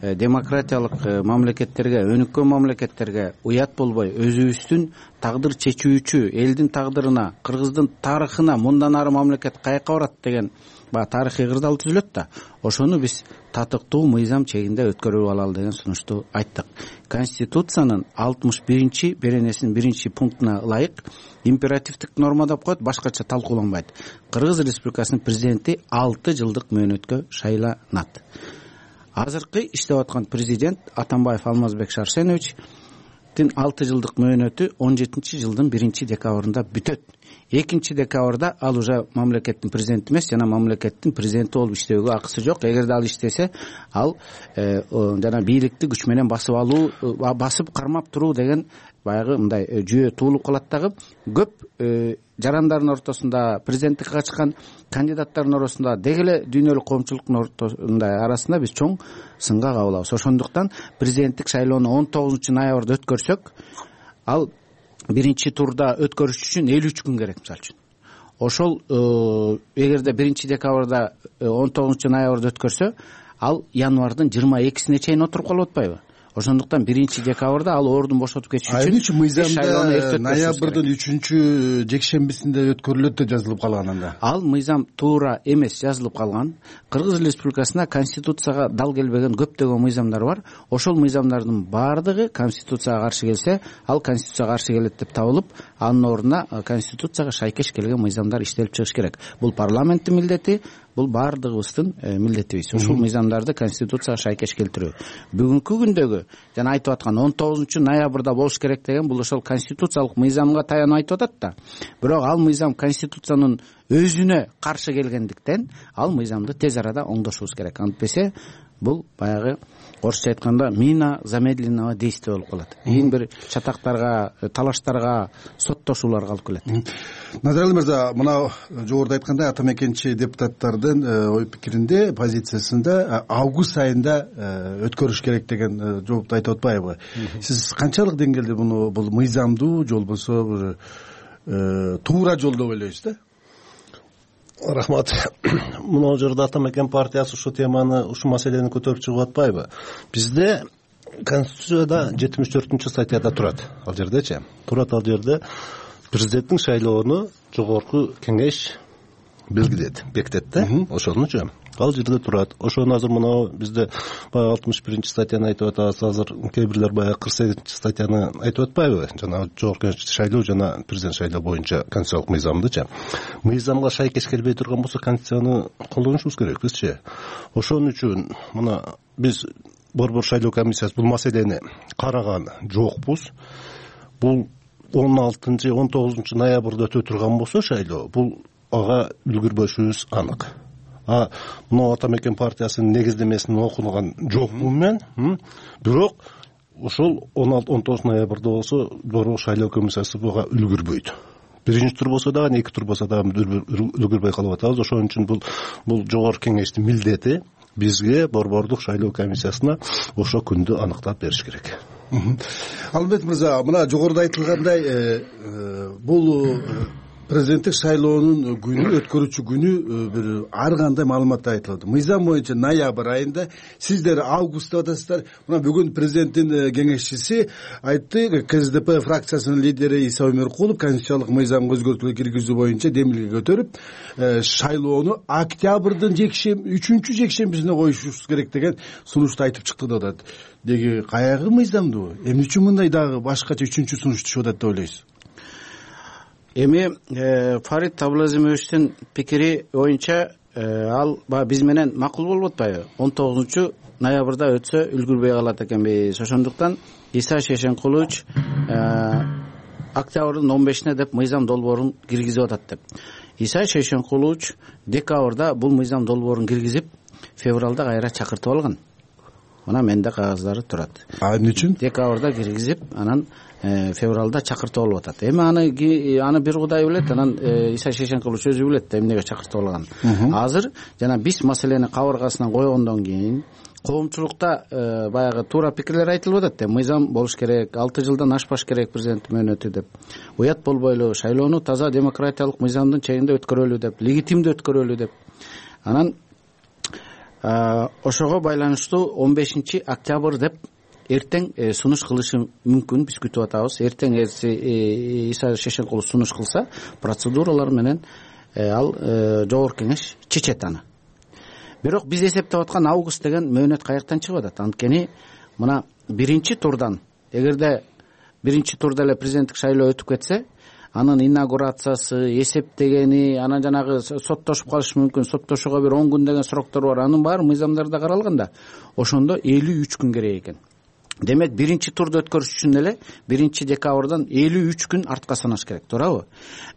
демократиялык мамлекеттерге, өнүккөн мамлекеттерге уят болбой, өзүбүздүн тагдыр чечүүчү элдин тагдырына, Кыргыздын тарыхына мындан ары мамлекет каяка барат деген баягы тарыхый кырдаал түзүлөт да. Ошону биз татыктуу мыйзам чегинде өткөрүп алалы деген сунушту айттык. Конституциянын алтымыш биринчи беренесинин биринчи пунктуна ылайык императивдик норма деп коет, башкача талкууланбайт. Кыргыз Республикасынын президенти алты жылдык мөөнөткө шайланат. Азыркы иштеп аткан президент Атамбаев Алмазбек Шарсеновичтин алты жылдык мөөнөтү он жетинчи жылдын биринчи декабрында бүтөт. экинчи декабрда ал уже мамлекеттин президенти эмес, жана мамлекеттин президенти болуп иштөөгө акысы жок. Эгерде ал иштесе, ал жана бийликти күч менен басып алуу, басып кармап туруу деген баягы мындай жүйө туулуп калат. Дагы көп жарандардын ортосунда, президенттикке качкан кандидаттардын арасында, деги эле дүйнөлүк коомчулуктун ортосунда арасында биз чоң сынга кабылабыз. Ошондуктан президенттик шайлоону он тогузунчу ноябрда өткөрсөк, ал биринчи турда өткөрүш үчүн элүү үч күн керек. Мисалы үчүн ошол эгерде биринчи декабрда он тогузунчу ноябрда өткөрсө, ал январдын жыйырма экисине чейин отуруп калып атпайбы? ошондуктан биринчи декабрда ал ордун бошотуп кетиш үчүн эмне үчүн мыйзамда ноябрдын үчүнчү жекшембисинде өткөрүлөт деп жазылып калган анда? Ал мыйзам туура эмес жазылып калган. Кыргыз Республикасында конституцияга дал келбеген көптөгөн мыйзамдар бар. Ошол мыйзамдардын баардыгы конституцияга каршы келсе, ал конституцияга каршы келет деп табылып, анын ордуна конституцияга шайкеш келген мыйзамдар иштелип чыгыш керек. Бул парламенттин милдети, бул баардыгыбыздын милдетибиз. Ушул мыйзамдарды конституцияга шайкеш келтирүү. Бүгүнкү күндөгү жана айтып аткан он тогузунчу ноябрда болуш керек деген бул ошол конституциялык мыйзамга таянып айтып атат да. Бирок ал мыйзам конституциянын өзүнө каршы келгендиктен ал мыйзамды тез арада оңдошубуз керек. Антпесе бул баягы орусча айтканда мина замедленного действия болуп калат. Кийин бир чатактарга, талаштарга, соттошууларга алып келет. Назаралы мырза, мына жогоруда айткандай ата мекенчи депутаттардын ой пикиринде, позициясында август айында өткөрүш керек деген жоопту айтып атпайбы? Сиз канчалык деңгээлде муну бул мыйзамдуу же болбосо бир туура жол деп ойлойсуз да? Рахмат. Мына жерде ата мекен партиясы ушу теманы, ушу маселени көтөрүп чыгып атпайбы? Бизде Конституцияда жетимиш төртүнчү статьяда турат. Ал жердечи? Турат ал жерде президенттин шайлоону жогорку кеңеш белгилейт, бекитет да. Ошонучу ал жерде турат. Ошону азыр мына бизде баягы алтымыш биринчи статьяны айтып атабыз, азыр кээ бирлер баягы кырк сегизинчи статьяны айтып атпайбы? Жана жогорку кеңеш шайлоо жана президент шайлоо боюнча конституциялык мыйзамдычы. Мыйзамга шайкеш келбей турган болсо конституцияны колдонушубуз керек бизчи. Ошон үчүн мына биз Борбор шайлоо комиссиясы бул маселени караган жокпуз. Бул он алтынчы он тогузунчу ноябрда өтө турган болсо шайлоо, бул ага үлгүрбөшүбүз анык. А мына ата мекен партиясынын негиздемесин окуган жокмун мен. Бирок ошол он алты он тогуз ноябрда болсо Борбор шайлоо комиссиясы буга үлгүрбөйт. Биринчи тур болсо дагы, эки тур болсо дагы үлгүрбөй калып атабыз. Ошон үчүн бул бул жогорку кеңештин милдети бизге Борбордук шайлоо комиссиясына ошо күндү аныктап бериш керек. Албек мырза, мына жогоруда айтылгандай бул президенттик шайлоонун күнү, өткөрүүчү күнү бир ар кандай маалымат айтылды. Мыйзам боюнча ноябрь айында, сиздер август деп атасыздар. Мына бүгүн президенттин кеңешчиси айтты, КСДП фракциясынын лидери Иса Өмөркулов конституциялык мыйзамга өзгөртүүлөр киргизүү боюнча демилге көтөрүп, шайлоону октябрдын жекшем үчүнчү жекшембисине коюшубуз керек деген сунушту айтып чыкты деп атат. Деги каягы мыйзамдуу? Эмне үчүн мындай дагы башкача үчүнчү сунуш түшүп атат деп ойлойсуз? Эми Фарид Абылазимовичтин пикири боюнча ал биз менен макул болуп атпайбы? он тогузунчу ноябрда өтсө үлгүрбөй калат экенбиз. Ошондуктан Иса Шешенкулович октябрдын он бешине деп мыйзам долбоорун киргизип атат деп. Иса Шешенкулович декабрда бул мыйзам долбоорун киргизип, февралда кайра чакыртып алган. Мына менде кагаздары турат. А эмне үчүн? Декабрда киргизип, анан февралда чакыртып алып атат. Эми аны аны бир Кудай билет, анан Иса Шешенкулович өзү билет эмнеге чакыртып алган. Азыр жана биз маселени кабыргасынан койгондон кийин коомчулукта баягы туура пикирлер айтылып атат. Мыйзам болуш керек, алты жылдан ашпаш керек президент мөөнөтү деп. Уят болбойлу, шайлоону таза демократиялык мыйзамдын чегинде өткөрөлү деп, легитимдүү өткөрөлү деп. Анан ошого байланыштуу он бешинчи октябрь деп эртең сунуш кылышы мүмкүн, биз күтүп атабыз. Эртең Иса Шешенкулов сунуш кылса, процедуралар менен ал жогорку кеңеш чечет аны. Бирок биз эсептеп аткан август деген мөөнөт каяктан чыгып атат? Анткени мына биринчи турдан, эгерде биринчи турда эле президенттик шайлоо өтүп кетсе, анын инаугурациясы, эсептегени, анан жанагы соттошуп калышы мүмкүн, соттошууга бир он күн деген сроктор бар. Анын баары мыйзамдарда каралган да. Ошондо элүү үч күн керек экен. Демек биринчи турду өткөрүш үчүн эле биринчи декабрдан элүү үч күн артка санаш керек, туурабы?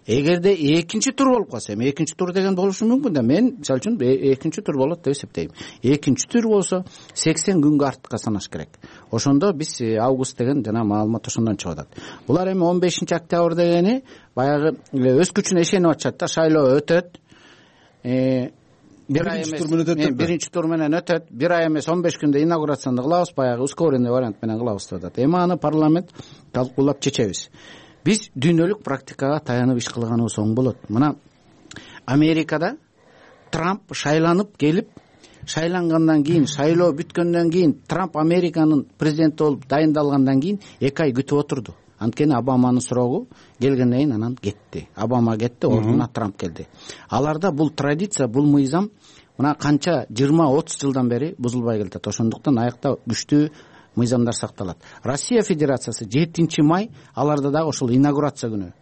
Эгерде экинчи тур болуп калса, эми экинчи тур деген болушу мүмкүн да. Мен мисалы үчүн экинчи тур болот деп эсептейм. Экинчи тур болсо сексен күнгө артка санаш керек. Ошондо биз август деген жана маалымат ошондон чыгып атат. Булар эми он бешинчи октябрь дегени баягы өз күчүнө ишенип атышат да, шайлоо өтөт. Бир ай эмес, биринчи тур менен өтөт. Бир ай эмес, он беш күндө инаугурацияны кылабыз, баягы ускоренный вариант менен кылабыз деп атат. Эми аны парламент талкуулап чечебиз. Биз дүйнөлүк практикага таянып иш кылганыбыз оң болот. Мына Америкада Трамп шайланып келип шайлангандан кийин, шайлоо бүткөндөн кийин, Трамп Американын президенти болуп дайындалгандан кийин эки ай күтүп отурду. Анткени Обаманын сурогу келгенден кийин анан кетти. Обама кетти, ордуна Трамп келди. Аларда бул традиция, бул мыйзам мына канча жыйырма отуз жылдан бери бузулбай келатат. Ошондуктан аякта күчтүү мыйзамдар сакталат. Россия Федерациясы жетинчи май, аларда дагы ошол инаугурация күнү.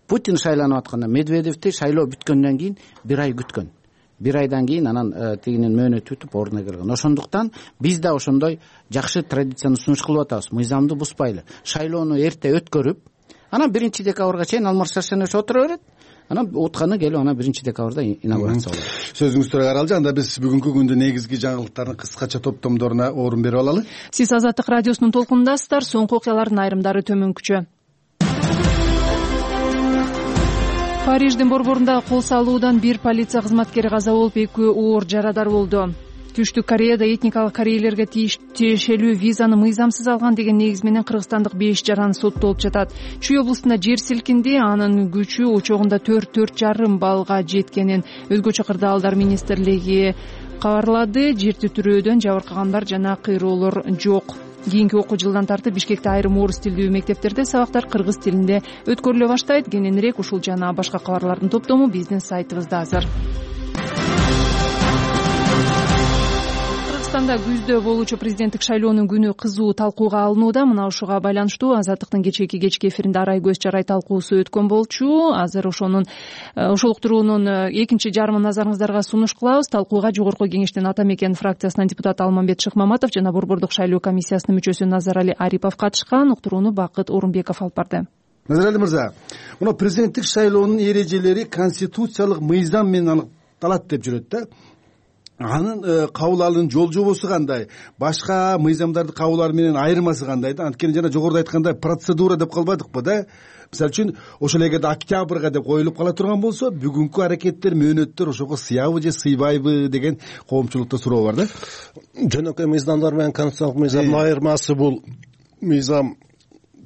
Путин шайланып атканда Медведевди шайлоо бүткөндөн кийин бир ай күткөн. Бир айдан кийин анан тигинин мөөнөтү бүтүп ордуна келген. Ошондуктан биз да ошондой жакшы традицияны сунуш кылып атабыз. Мыйзамды бузбайлы. Шайлоону эрте өткөрүп, анан биринчи декабрга чейин Алмаз Шаршенович отура берет. Анан утканы келип анан биринчи декабрда инаугурация болот. Сөзүңүздү каралжы. Анда биз бүгүнкү күндүн негизги жаңылыктардын кыскача топтомдоруна орун берип алалы. Сиз Азаттык радиосунун толкунундасыздар. Соңку окуялардын айрымдары төмөнкүчө. Париждин борборунда кол салуудан бир полиция кызматкери каза болуп, экөө оор жарадар болду. Түштүк Кореяда этникалык корейлерге тиешелүү визаны мыйзамсыз алган деген негиз менен кыргызстандык беш жаран соттолуп жатат. Чүй облустунда жер силкинди, анын күчү учогунда төрт төрт жарым баллга жеткенин өзгөчө кырдаалдар министрлиги кабарлады. Жер титирөөдөн жабыркагандар жана кыйроолор жок. Кийинки окуу жылдан тартып Бишкекте айрым орус тилдүү мектептерде сабактар кыргыз тилинде өткөрүлө баштайт. Кененирээк ушул жана башка кабарлардын топтому биздин сайтыбызда азыр. Кыргызстанда күздө болуучу президенттик шайлоонун күнү кызуу талкууга алынууда. Мына ушуга байланыштуу Азаттыктын кечээки кечки эфиринде арай көз жарай талкуусу өткөн болчу. Азыр ошонун ошол уктуруунун экинчи жарымын назарыңыздарга сунуш кылабыз. Талкууга жогорку кеңештин Ата Мекен фракциясынан депутат Алмамбет Шыкмаматов жана борбордук шайлоо комиссиясынын мүчөсү Назарали Арипов катышкан. Уктурууну Бакыт Орунбеков алып барды. Назарали мырза, мына президенттик шайлоонун эрежелери конституциялык мыйзам менен аныкталат деп жүрөт да. Анын кабыл алуунун жол жобосу кандай, башка мыйзамдарды кабыл алуу менен айырмасы кандай да? Анткени жана жогоруда айткандай процедура деп калбадыкпы да? Мисалы үчүн ошол эгерде октябрга деп коюлуп кала турган болсо, бүгүнкү аракеттер, мөөнөттөр ошого сыябы же сыйбайбы деген коомчулукта суроо бар да. Жөнөкөй мыйзамдар менен конституциялык мыйзамдын айырмасы бул мыйзам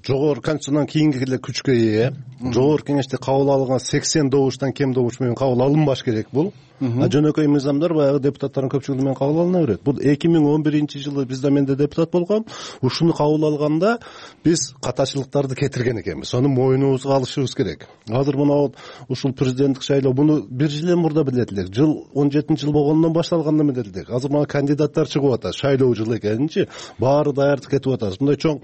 жогорку конституциядан кийинки эле күчкө ээ. Жогорку кеңеште кабыл алынган сексен добуштан кем добуш менен кабыл алынбаш керек бул. А жөнөкөй мыйзамдар баягы депутаттардын көпчүлүгү менен кабыл алына берет. Бул эки миң он биринчи жылы бизде мен да депутат болгом. Ушуну кабыл алганда биз катачылыктарды кетирген экенбиз. Аны мойнубузга алышыбыз керек. Азыр мына ушул президенттик шайлоо буну бир жыл мурда билет элек. Жыл он жетинчи жыл болгондон башталганда билет элек. Азыр мына кандидаттар чыгып атат. Шайлоо жылы экенинчи баары даярдык кетип атат. Мындай чоң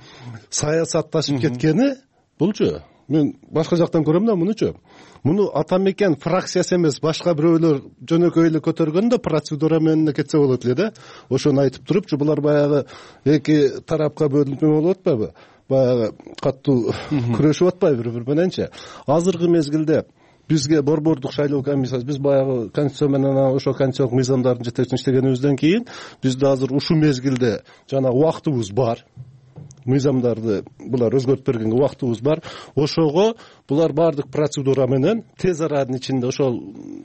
саясатташып кеткени булчу. Мен башка жактан көрөм да мунучу. Муну Ата Мекен фракциясы эмес, башка бирөөлөр жөнөкөй эле көтөргөн да процедура менен кетсе болот эле да. Ошону айтып турупчу, булар баягы эки тарапка бөлүнүп болуп атпайбы? Баягы каттуу күрөшүп атпайбы бири-бири мененчи? Азыркы мезгилде бизге борбордук шайлоо комиссиясы, биз баягы конституция менен ошо конституциялык мыйзамдардын жетекчилигин иштегенибизден кийин бизде азыр ушул мезгилде жана убактыбыз бар. Мыйзамдарды булар өзгөртүп бергенге убактыбыз бар. Ошого булар баардык процедура менен тез аранын ичинде ошол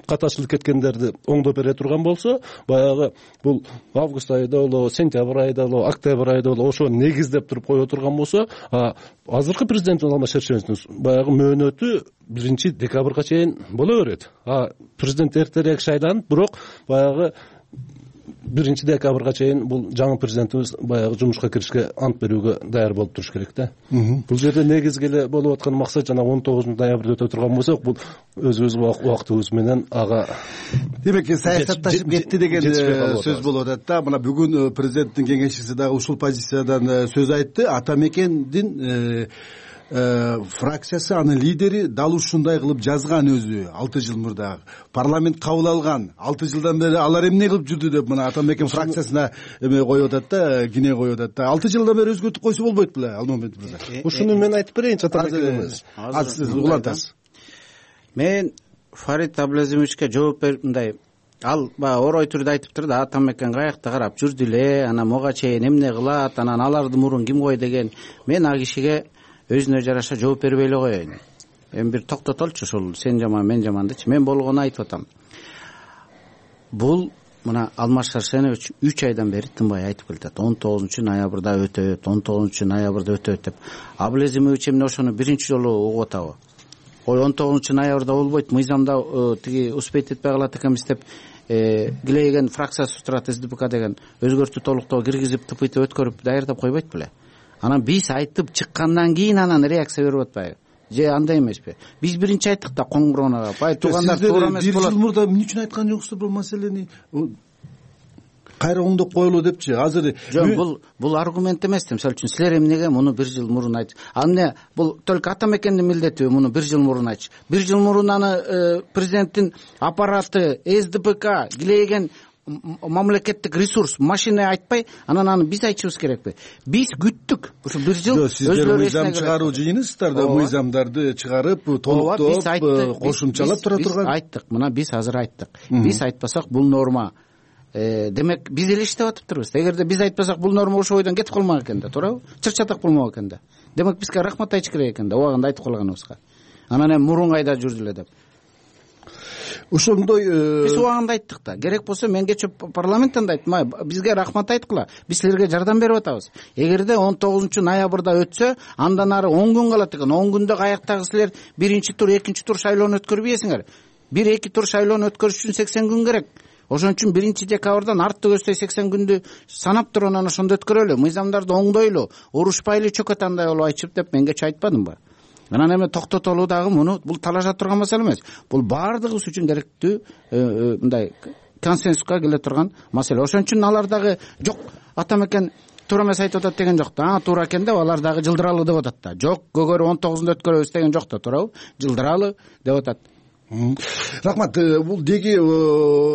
катачылык кеткендерди оңдоп бере турган болсо, баягы бул август айында болобу, сентябрь айында болобу, октябрь айында болобу ошо негиздеп туруп кое турган болсо, азыркы президент Алмаз Шаршеновичтин баягы мөөнөтү биринчи декабрга чейин боло берет. А президент эртерээк шайланып, бирок баягы биринчи декабрга чейин бул жаңы президентибиз баягы жумушка киришке ант берүүгө даяр болуп туруш керек да. Бул жерде негизги эле болуп аткан максат жана он тогузунчу ноябрда өтө турган болсок, бул өзүбүз убактыбыз менен ага демек саясатташып кетти деген сөз болуп атат да. Мына бүгүн президенттин кеңешчиси дагы ушул позициядан сөз айтты. Ата Мекендин фракциясы, анын лидери дал ушундай кылып жазган өзү алты жыл мурда. Парламент кабыл алган. алты жылдан бери алар эмне кылып жүрдү деп мына Ата Мекен фракциясына эме коюп атат да, кине коюп атат да. алты жылдан бери өзгөртүп койсо болбойт беле Алмамбет мырза? Ушуну мен айтып берейинчи Ата Мекенибиз. Азыр сиз улантасыз. Мен Фарид Аблазимовичке жооп берип мындай, ал баягы орой түрдө айтыптыр да, Ата Мекен каякта карап жүрдү эле, анан мога чейин эмне кылат, анан аларды мурун ким кой деген. Мен а кишиге өзүнө жараша жооп бербей эле коеюн. Эми бир токтотолчу, ушул сен жаман мен жаман дечи. Мен болгону айтып атам. Бул мына Алмаз Шаршенович үч айдан бери тынбай айтып келатат. он тогузунчу ноябрда өтөт, он тогузунчу ноябрда өтөт деп. Аблазимович эмне ошону биринчи жолу угуп атабы? Ой, он тогузунчу ноябрда болбойт, мыйзамда тиги успеть этпей калат экенбиз деп килейген фракциясы турат СДПК деген өзгөртүү толуктоо киргизип тпт өткөрүп даярдап койбойт беле. Анан биз айтып чыккандан кийин анан реакция берип атпайбы же андай эмеспи? Биз биринчи айттык да коңгуроонага бай туугандар туура эмес болот. Бир жыл мурда эмне үчүн айткан жоксуздар бул маселени? Кайра оңдоп коелу депчи. Азыр жок, бул бул аргумент эмес. Мисалы үчүн силер эмнеге муну бир жыл мурун айтып, а эмне бул только ата мекендин милдети муну бир жыл мурун айтчы. Бир жыл мурун аны президенттин аппараты СДПК килейген мамлекеттик ресурс машина айтпай, анан аны биз айтышыбыз керекпи? Биз күттүк. Ушу бир жыл өздөрү мыйзам чыгаруу жыйынысыздар да, мыйзамдарды чыгарып, толуктоп, кошумчалап тура турган. Биз айттык, мына биз азыр айттык. Биз айтпасак бул норма демек биз эле иштеп атыптырбыз. Эгерде биз айтпасак бул норма ошол бойдон кетип калмак экен да, туурабы? Чыр-чатак болмок экен да. Демек бизге рахмат айтыш керек экен да, убагында айтып калганыбызга. Анан эми мурун кайда жүрдү эле деп. Ошондой биз убагында айттык да. Керек болсо мен кечээ парламенттен да айттым, бизге рахмат айткыла. Биз силерге жардам берип атабыз. Эгерде он тогузунчу ноябрда өтсө, андан ары он күн калат экен. он күндө каяктагы силер биринчи тур, экинчи тур шайлоону өткөрбөйсүңөр. бир эки тур шайлоону өткөрүш үчүн сексен күн керек. Ошон үчүн биринчи декабрдан артты көздөй сексен күндү санап туруп анан ошондо өткөрөлү. Мыйзамдарды оңдойлу, урушпайлы чөкөт андай болуп айтышып деп мен кечээ айтпадымбы? Анан эми токтотолуу дагы муну бул талаша турган маселе эмес. Бул баардыгыбыз үчүн керектүү мындай консенсуска келе турган маселе. Ошон үчүн алар дагы жок ата мекен туура эмес айтып атат деген жок да. А туура экен деп алар дагы жылдыралы деп атат да. Жок, көгөрү он тогузунда өткөрөбүз деген жок да, туурабы? Жылдыралы деп атат. Рахмат. Бул деги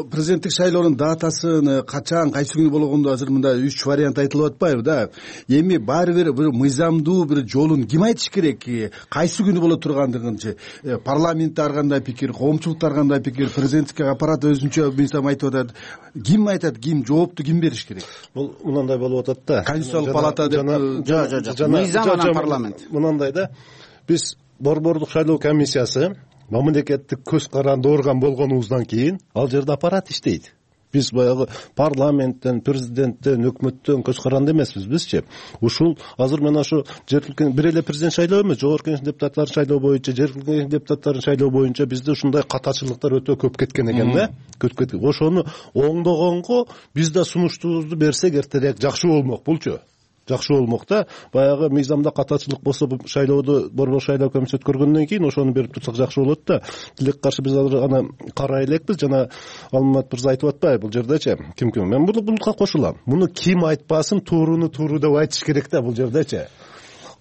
президенттик шайлоонун датасын качан, кайсы күнү болгондо азыр мында үч вариант айтылып атпайбы да? Эми баары бир бир мыйзамдуу бир жолун ким айтыш керек? Кайсы күнү боло тургандыгынчы парламентте ар кандай пикир, коомчулукта ар кандай пикир, президенттик аппарат өзүнчө мыйзам айтып атат. Ким айтат, ким жоопту ким бериш керек? Бул мындай болуп атат да. Конституциялык палата деп жок, жок, жок. Мыйзам анан парламент. Мындай да. Биз борбордук шайлоо комиссиясы мамлекеттик көз каранды орган болгонубуздан кийин ал жерде аппарат иштейт. Биз баягы парламенттен, президенттен, өкмөттөн көз каранды эмеспиз бизчи. Ушул азыр мына ошо жергиликтүү бир эле президент шайлоо эмес, жогорку кеңеш депутаттарын шайлоо боюнча, жергиликтүү кеңеш депутаттарын шайлоо боюнча бизде ушундай катачылыктар өтө көп кеткен экен да. Көп кеткен. Ошону оңдогонго биз да сунуштуубузду берсек эртерээк жакшы болмок булчу. Жакшы болмок да. Баягы мыйзамда катачылык болсо бул шайлоодо борбор шайлоо комиссиясы өткөргөндөн кийин ошону берип турсак жакшы болот да. Тилекке каршы биз азыр аны карай элекпиз. Жана Алмат мырза айтып атпайбы бул жердечи? Ким ким? Мен бул булга кошулам. Муну ким айтпасын, тууруну тууру деп айтыш керек да бул жердечи.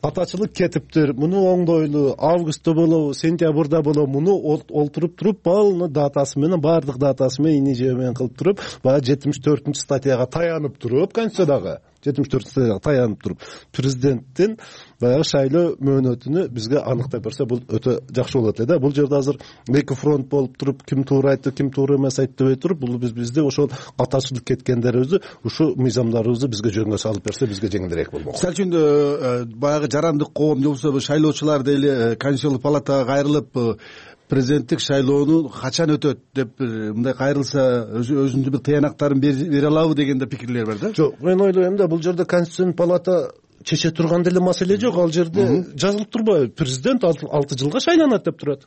Катачылык кетиптир. Муну оңдойлу. Августта болобу, сентябрда болобу, муну олтуруп туруп, балны датасы менен, бардык датасы менен, иниже менен кылып туруп, баягы жетимиш төртүнчү статьяга таянып туруп, Конституциядагы жетимиш төртүнчү статьяга таянып туруп, президенттин баягы шайлоо мөөнөтүнү бизге аныктап берсе, бул өтө жакшы болот эле да. Бул жерде азыр эки фронт болуп туруп, ким туура айтты, ким туура эмес айтты дебей туруп, бул биз бизде ошол катачылык кеткендерибизди, ушу мыйзамдарыбызды бизге жөнгө салып берсе, бизге жеңилирээк болмок. Мисалы үчүн баягы жарандык коом же болбосо шайлоочулар деле Конституциялык палатага кайрылып, президенттик шайлоону качан өтөт деп мындай кайрылса өзүнүн бир тыянактарын бере алабы деген да пикирлер бар да. Жок, мен ойлойм да, бул жерде Конституциялык палата чече турган деле маселе жок. Ал жерде жазылып турбайбы? Президент алты жылга шайланат деп турат.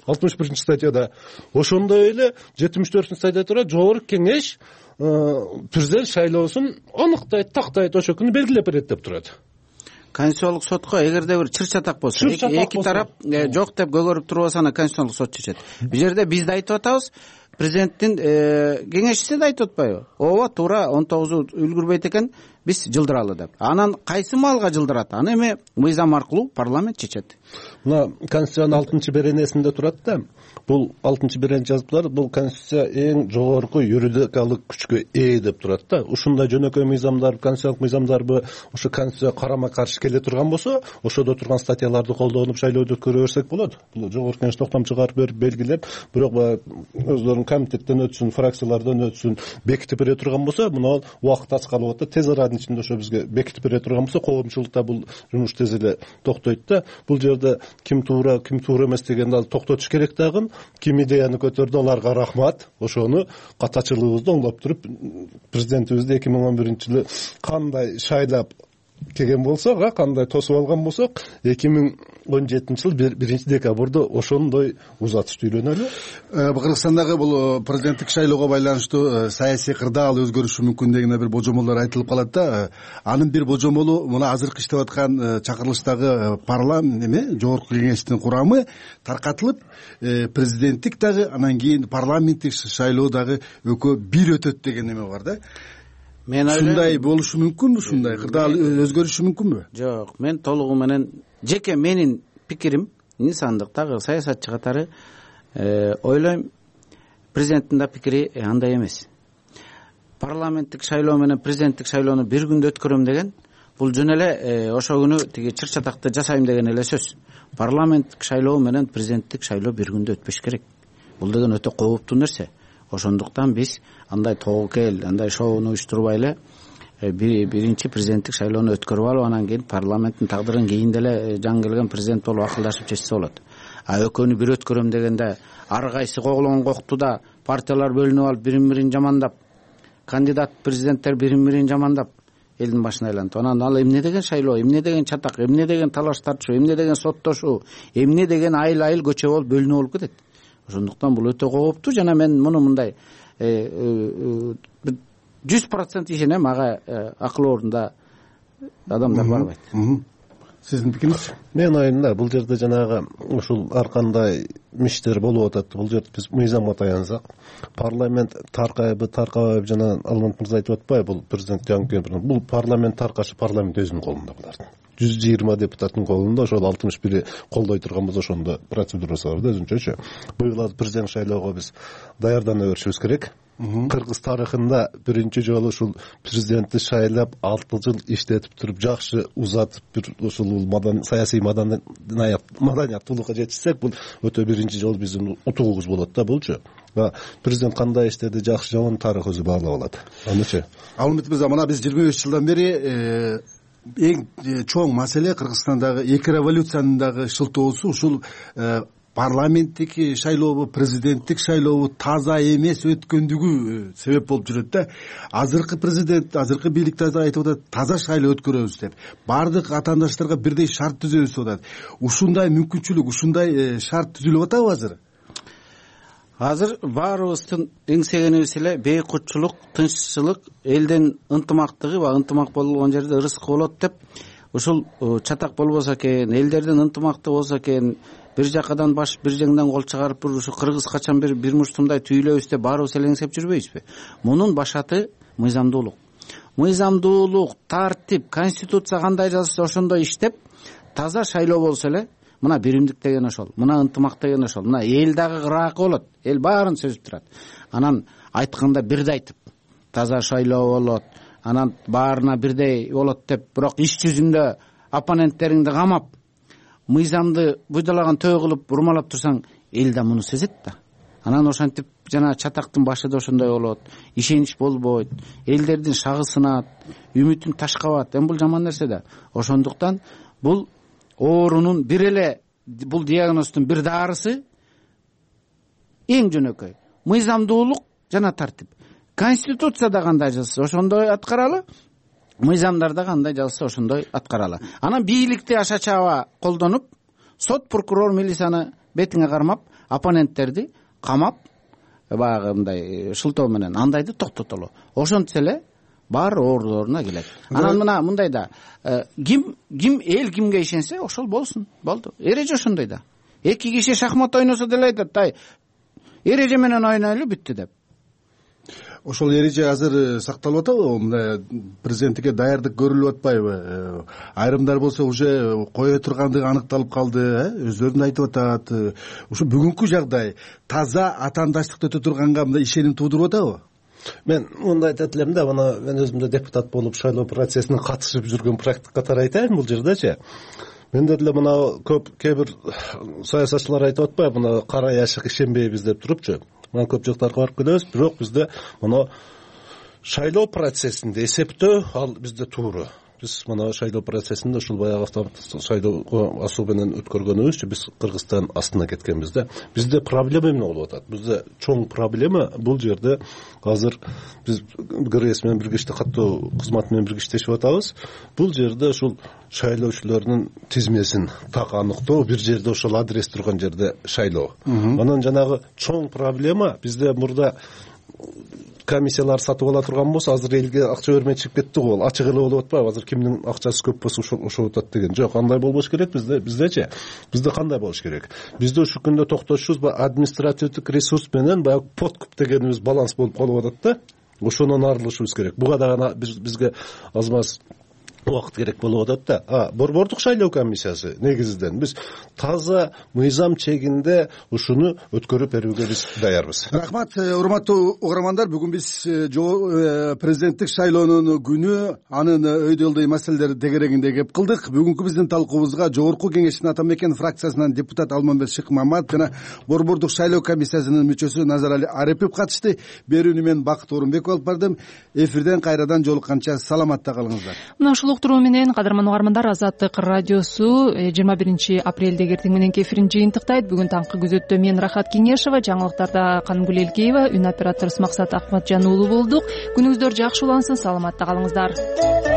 алтымыш биринчи статьяда. Ошондой эле жетимиш төртүнчү статьяда турат, жогорку кеңеш президент шайлоосун аныктайт, тактайт, ошол күнү белгилеп берет деп турат. Конституциялык сотко эгерде бир чыр-чатак болсо, эки тарап жок деп көгөрүп турбаса, аны Конституциялык сот чечет. Бул жерде биз да айтып атабыз, президенттин кеңешчиси да айтып атпайбы? Ооба, туура он тогузу үлгүрбөйт экен, биз жылдыралы деп. Анан кайсы маалга жылдырат? Аны эми мыйзам аркылуу парламент чечет. Мына Конституциянын алтынчы беренесинде турат да. Бул алтынчы берене жазыптар, бул Конституция эң жогорку юридикалык күчкө ээ деп турат да. Ушундай жөнөкөй мыйзамдар, конституциялык мыйзамдарбы ошо Конституция карама-каршы келе турган болсо, ошодо турган статьяларды колдонуп шайлоодо өткөрө берсек болот. Бул жогорку кеңеш токтом чыгарып берип белгилеп, бирок өздөрүнүн комитеттен өтсүн, фракциялардан өтсүн, бекитип бере турган болсо, мына убакыт ач калып атат. Тез аранын ичинде ошо бизге бекитип бере турган болсо, коомчулукта бул жумуш тез эле токтойт да. Бул жерде ким туура, ким туура эмес дегенди ал токтотуш керек дагы. Ким идеяны көтөрдү, аларга рахмат. Ошону катачылыгыбызды оңдоп туруп, президентибизди эки миң он биринчи жылы кандай шайлап келген болсок, а кандай тосуп алган болсок, эки миң он жетинчи жыл биринчи декабрда ошондой узатышты үйлөнөлү. Кыргызстандагы бул президенттик шайлоого байланыштуу саясий кырдаал өзгөрүшү мүмкүн деген бир божомолдор айтылып калат да. Анын бир божомолу мына азыркы иштеп аткан чакырылыштагы парламент эме жогорку кеңештин курамы таркатылып, президенттик дагы анан кийин парламенттик шайлоо дагы экөө бир өтөт деген эме бар да. Мен ушундай болушу мүмкүнбү? Ушундай кырдаал өзгөрүшү мүмкүнбү? Жок, мен толугу менен жеке менин пикирим, инсандык дагы саясатчы катары ойлойм, президенттин да пикири андай эмес. Парламенттик шайлоо менен президенттик шайлоону бир күндө өткөрөм деген, бул жөн эле ошол күнү тиги чыр чатакты жасайм деген эле сөз. Парламенттик шайлоо менен президенттик шайлоо бир күндө өтпөш керек. Бул деген өтө кооптуу нерсе. Ошондуктан биз андай тоокел, андай шоуну уюштурбай эле биринчи президенттик шайлоону өткөрүп алып, анан кийин парламенттин тагдырын кийин деле жаңы келген президент болуп акылдашып чечсе болот. А экөөнү бир өткөрөм дегенде ар кайсы коглон коктуда партиялар бөлүнүп алып, бирин бирин жамандап, кандидат президенттер бирин бирин жамандап элдин башына айланып, анан ал эмне деген шайлоо, эмне деген чатак, эмне деген талаш тартышуу, эмне деген соттошуу, эмне деген айыл айыл көчө болуп бөлүнүп болуп кетет. Ошондуктан бул өтө кооптуу жана мен муну мындай жүз процент ишенем, ага акыл орунда адамдар барбайт. Сиздин пикириңиз? Мен оюмда бул жерде жанагы ушул ар кандай миштер болуп атат. Бул жерде биз мыйзамга таянсак, парламент таркайбы, таркабайбы, жана Алмат мырза айтып атпайбы, бул президент жаңы бул парламент таркашы парламент өзүнүн колунда булардын. жүз жыйырма депутаттын колунда, ошол алтымыш бири колдой турган болсо ошондо процедурасы бар да өзүнчөчү. Быйыл президент шайлоого биз даярдана беришибиз керек. Кыргыз тарыхында биринчи жолу ушул президентти шайлап алты жыл иштетип туруп, жакшы узатып, бир ушул мадан саясий маданият маданияттуулукка жетишсек, бул өтө биринчи жолу биздин утугубуз болот да булчу. Президент кандай иштеди, жакшы жаман тарых өзү баалап алат. Анычы. Алмат мырза, мына биз жыйырма беш жылдан бери эң чоң маселе Кыргызстандагы эки революциянын дагы шылтоосу ушул парламенттик шайлообу, президенттик шайлообу таза эмес өткөндүгү себеп болуп жүрөт да. Азыркы президент, азыркы бийлик да айтып атат, таза шайлоо өткөрөбүз деп. Бардык атаандаштарга бирдей шарт түзөбүз деп атат. Ушундай мүмкүнчүлүк, ушундай шарт түзүлүп атабы азыр? Азыр баарыбыздын эңсегенибиз эле бейкутчулук, тынччылык, элдин ынтымактыгы, ба ынтымак болгон жерде ырыскы болот деп, ушул чатак болбосо экен, элдердин ынтымакты болсо экен, бир жакадан баш, бир жеңден кол чыгарып, ушу Кыргыз качан бир бир муштумдай түйүлөбүз деп баарыбыз эле эңсеп жүрбөйбүзбү? Мунун башаты мыйзамдуулук. Мыйзамдуулук, тартип, конституция кандай жазса ошондой иштеп, таза шайлоо болсо эле, мына биримдик деген ошол, мына ынтымак деген ошол, мына эл дагы кыраакы болот, эл баарын сөзүп турат. Анан айтканда бирдей айтып, таза шайлоо болот, анан баарына бирдей болот деп, бирок иш жүзүндө оппоненттериңди камап, мыйзамды буйдалаган төө кылып урмалап турсаң, эл да муну сезет да. Анан ошентип жана чатактын башы да ошондой болот, ишенич болбойт, элдердин шагы сынат, үмүтүн ташкабат. Эми бул жаман нерсе да. Ошондуктан бул оорунун бир эле, бул диагноздун бир дарысы эң жөнөкөй мыйзамдуулук жана тартип. Конституцияда кандай жазса ошондой аткаралы, мыйзамдарда кандай жазса ошондой аткаралы. Анан бийликти аша чаба колдонуп, сот, прокурор, милицияны бетиңе кармап, оппоненттерди камап, баягы мындай шылтоо менен андайды токтотолу. Ошентсе эле баары оорулоруна келет. Анан мына мындай да, ким ким эл кимге ишенсе ошол болсун, болду. Эреже ошондой да. Эки киши шахмат ойносо деле айтат, ай, эреже менен ойнойлу, бүттү деп. Ошол эреже азыр сакталып атабы? Мына президенттикке даярдык көрүлүп атпайбы? Айрымдар болсо уже кое тургандыгы аныкталып калды, өздөрүн айтып атат. Ушу бүгүнкү жагдай таза атаандаштыкты өтө турганга мындай ишеним туудуруп атабы? Мен мындай айтат элем да, мына мен өзүм да депутат болуп шайлоо процессине катышып жүргөн практик катары айтайын бул жердечи. Менде деле мына көп кээ бир саясатчылар айтып атпайбы, мына кара яшык ишенбейбиз деп турупчу. Мына көп жактарга барып келебиз, бирок бизде мына шайлоо процессинде эсептөө ал бизде тууру. биз мына шайлоо процессинде ушул баягы автоматтык шайлоого асуу менен өткөргөнүбүзчө биз Кыргызстан астына кеткенбиз да. Бизде проблема эмне болуп атат? Бизде чоң проблема бул жерде азыр биз ГРС менен бирге каттоо кызматы менен бирге иштешип атабыз. Бул жерде ушул шайлоочулардын тизмесин так аныктоо, бир жерде ошол адрес турган жерде шайлоо. Анан жанагы чоң проблема бизде мурда комиссиялар сатып ала турган болсо азыр элге акча бермей чыгып кетти го, ачык эле болуп атпайбы? Азыр кимдин акчасы көп болсо ошо атат деген. Жок, андай болбош керек бизде. Биздечи бизде кандай болуш керек? Бизде ушул күндө токтошубуз административдик ресурс менен баягы подкуп дегенибиз баланс болуп калып атат да. Ошонон арылышыбыз керек. Буга дагы бизге аз маз убакыт керек болуп атат да. А борбордук шайлоо комиссиясы негизинен биз таза мыйзам чегинде ушуну өткөрүп берүүгө биз даярбыз. Рахмат, урматтуу угармандар. Бүгүн биз президенттик шайлоонун күнү, анын өйдөлдөй маселелери тегерегинде кеп кылдык. Бүгүнкү биздин талкуубузга Жогорку Кеңештин Ата Мекен фракциясынан депутат Алмамбет Шыкмаматов жана борбордук шайлоо комиссиясынын мүчөсү Назарали Арипов катышты. Берүүнү мен Бакыт Орунбеков алып бардым. Эфирден кайрадан жолукканча саламатта калыңыздар. Уктуруу менен кадырман угармандар, Азаттык радиосу жыйырма биринчи апрелдеги эртең мененки эфирин жыйынтыктайт. Бүгүн таңкы күзөттө мен Рахат Кеңешова, жаңылыктарда Кангүл Элкеева, үн операторубуз Максат Акматжан уулу болдук. Күнүңүздөр жакшы улансын, саламатта калыңыздар.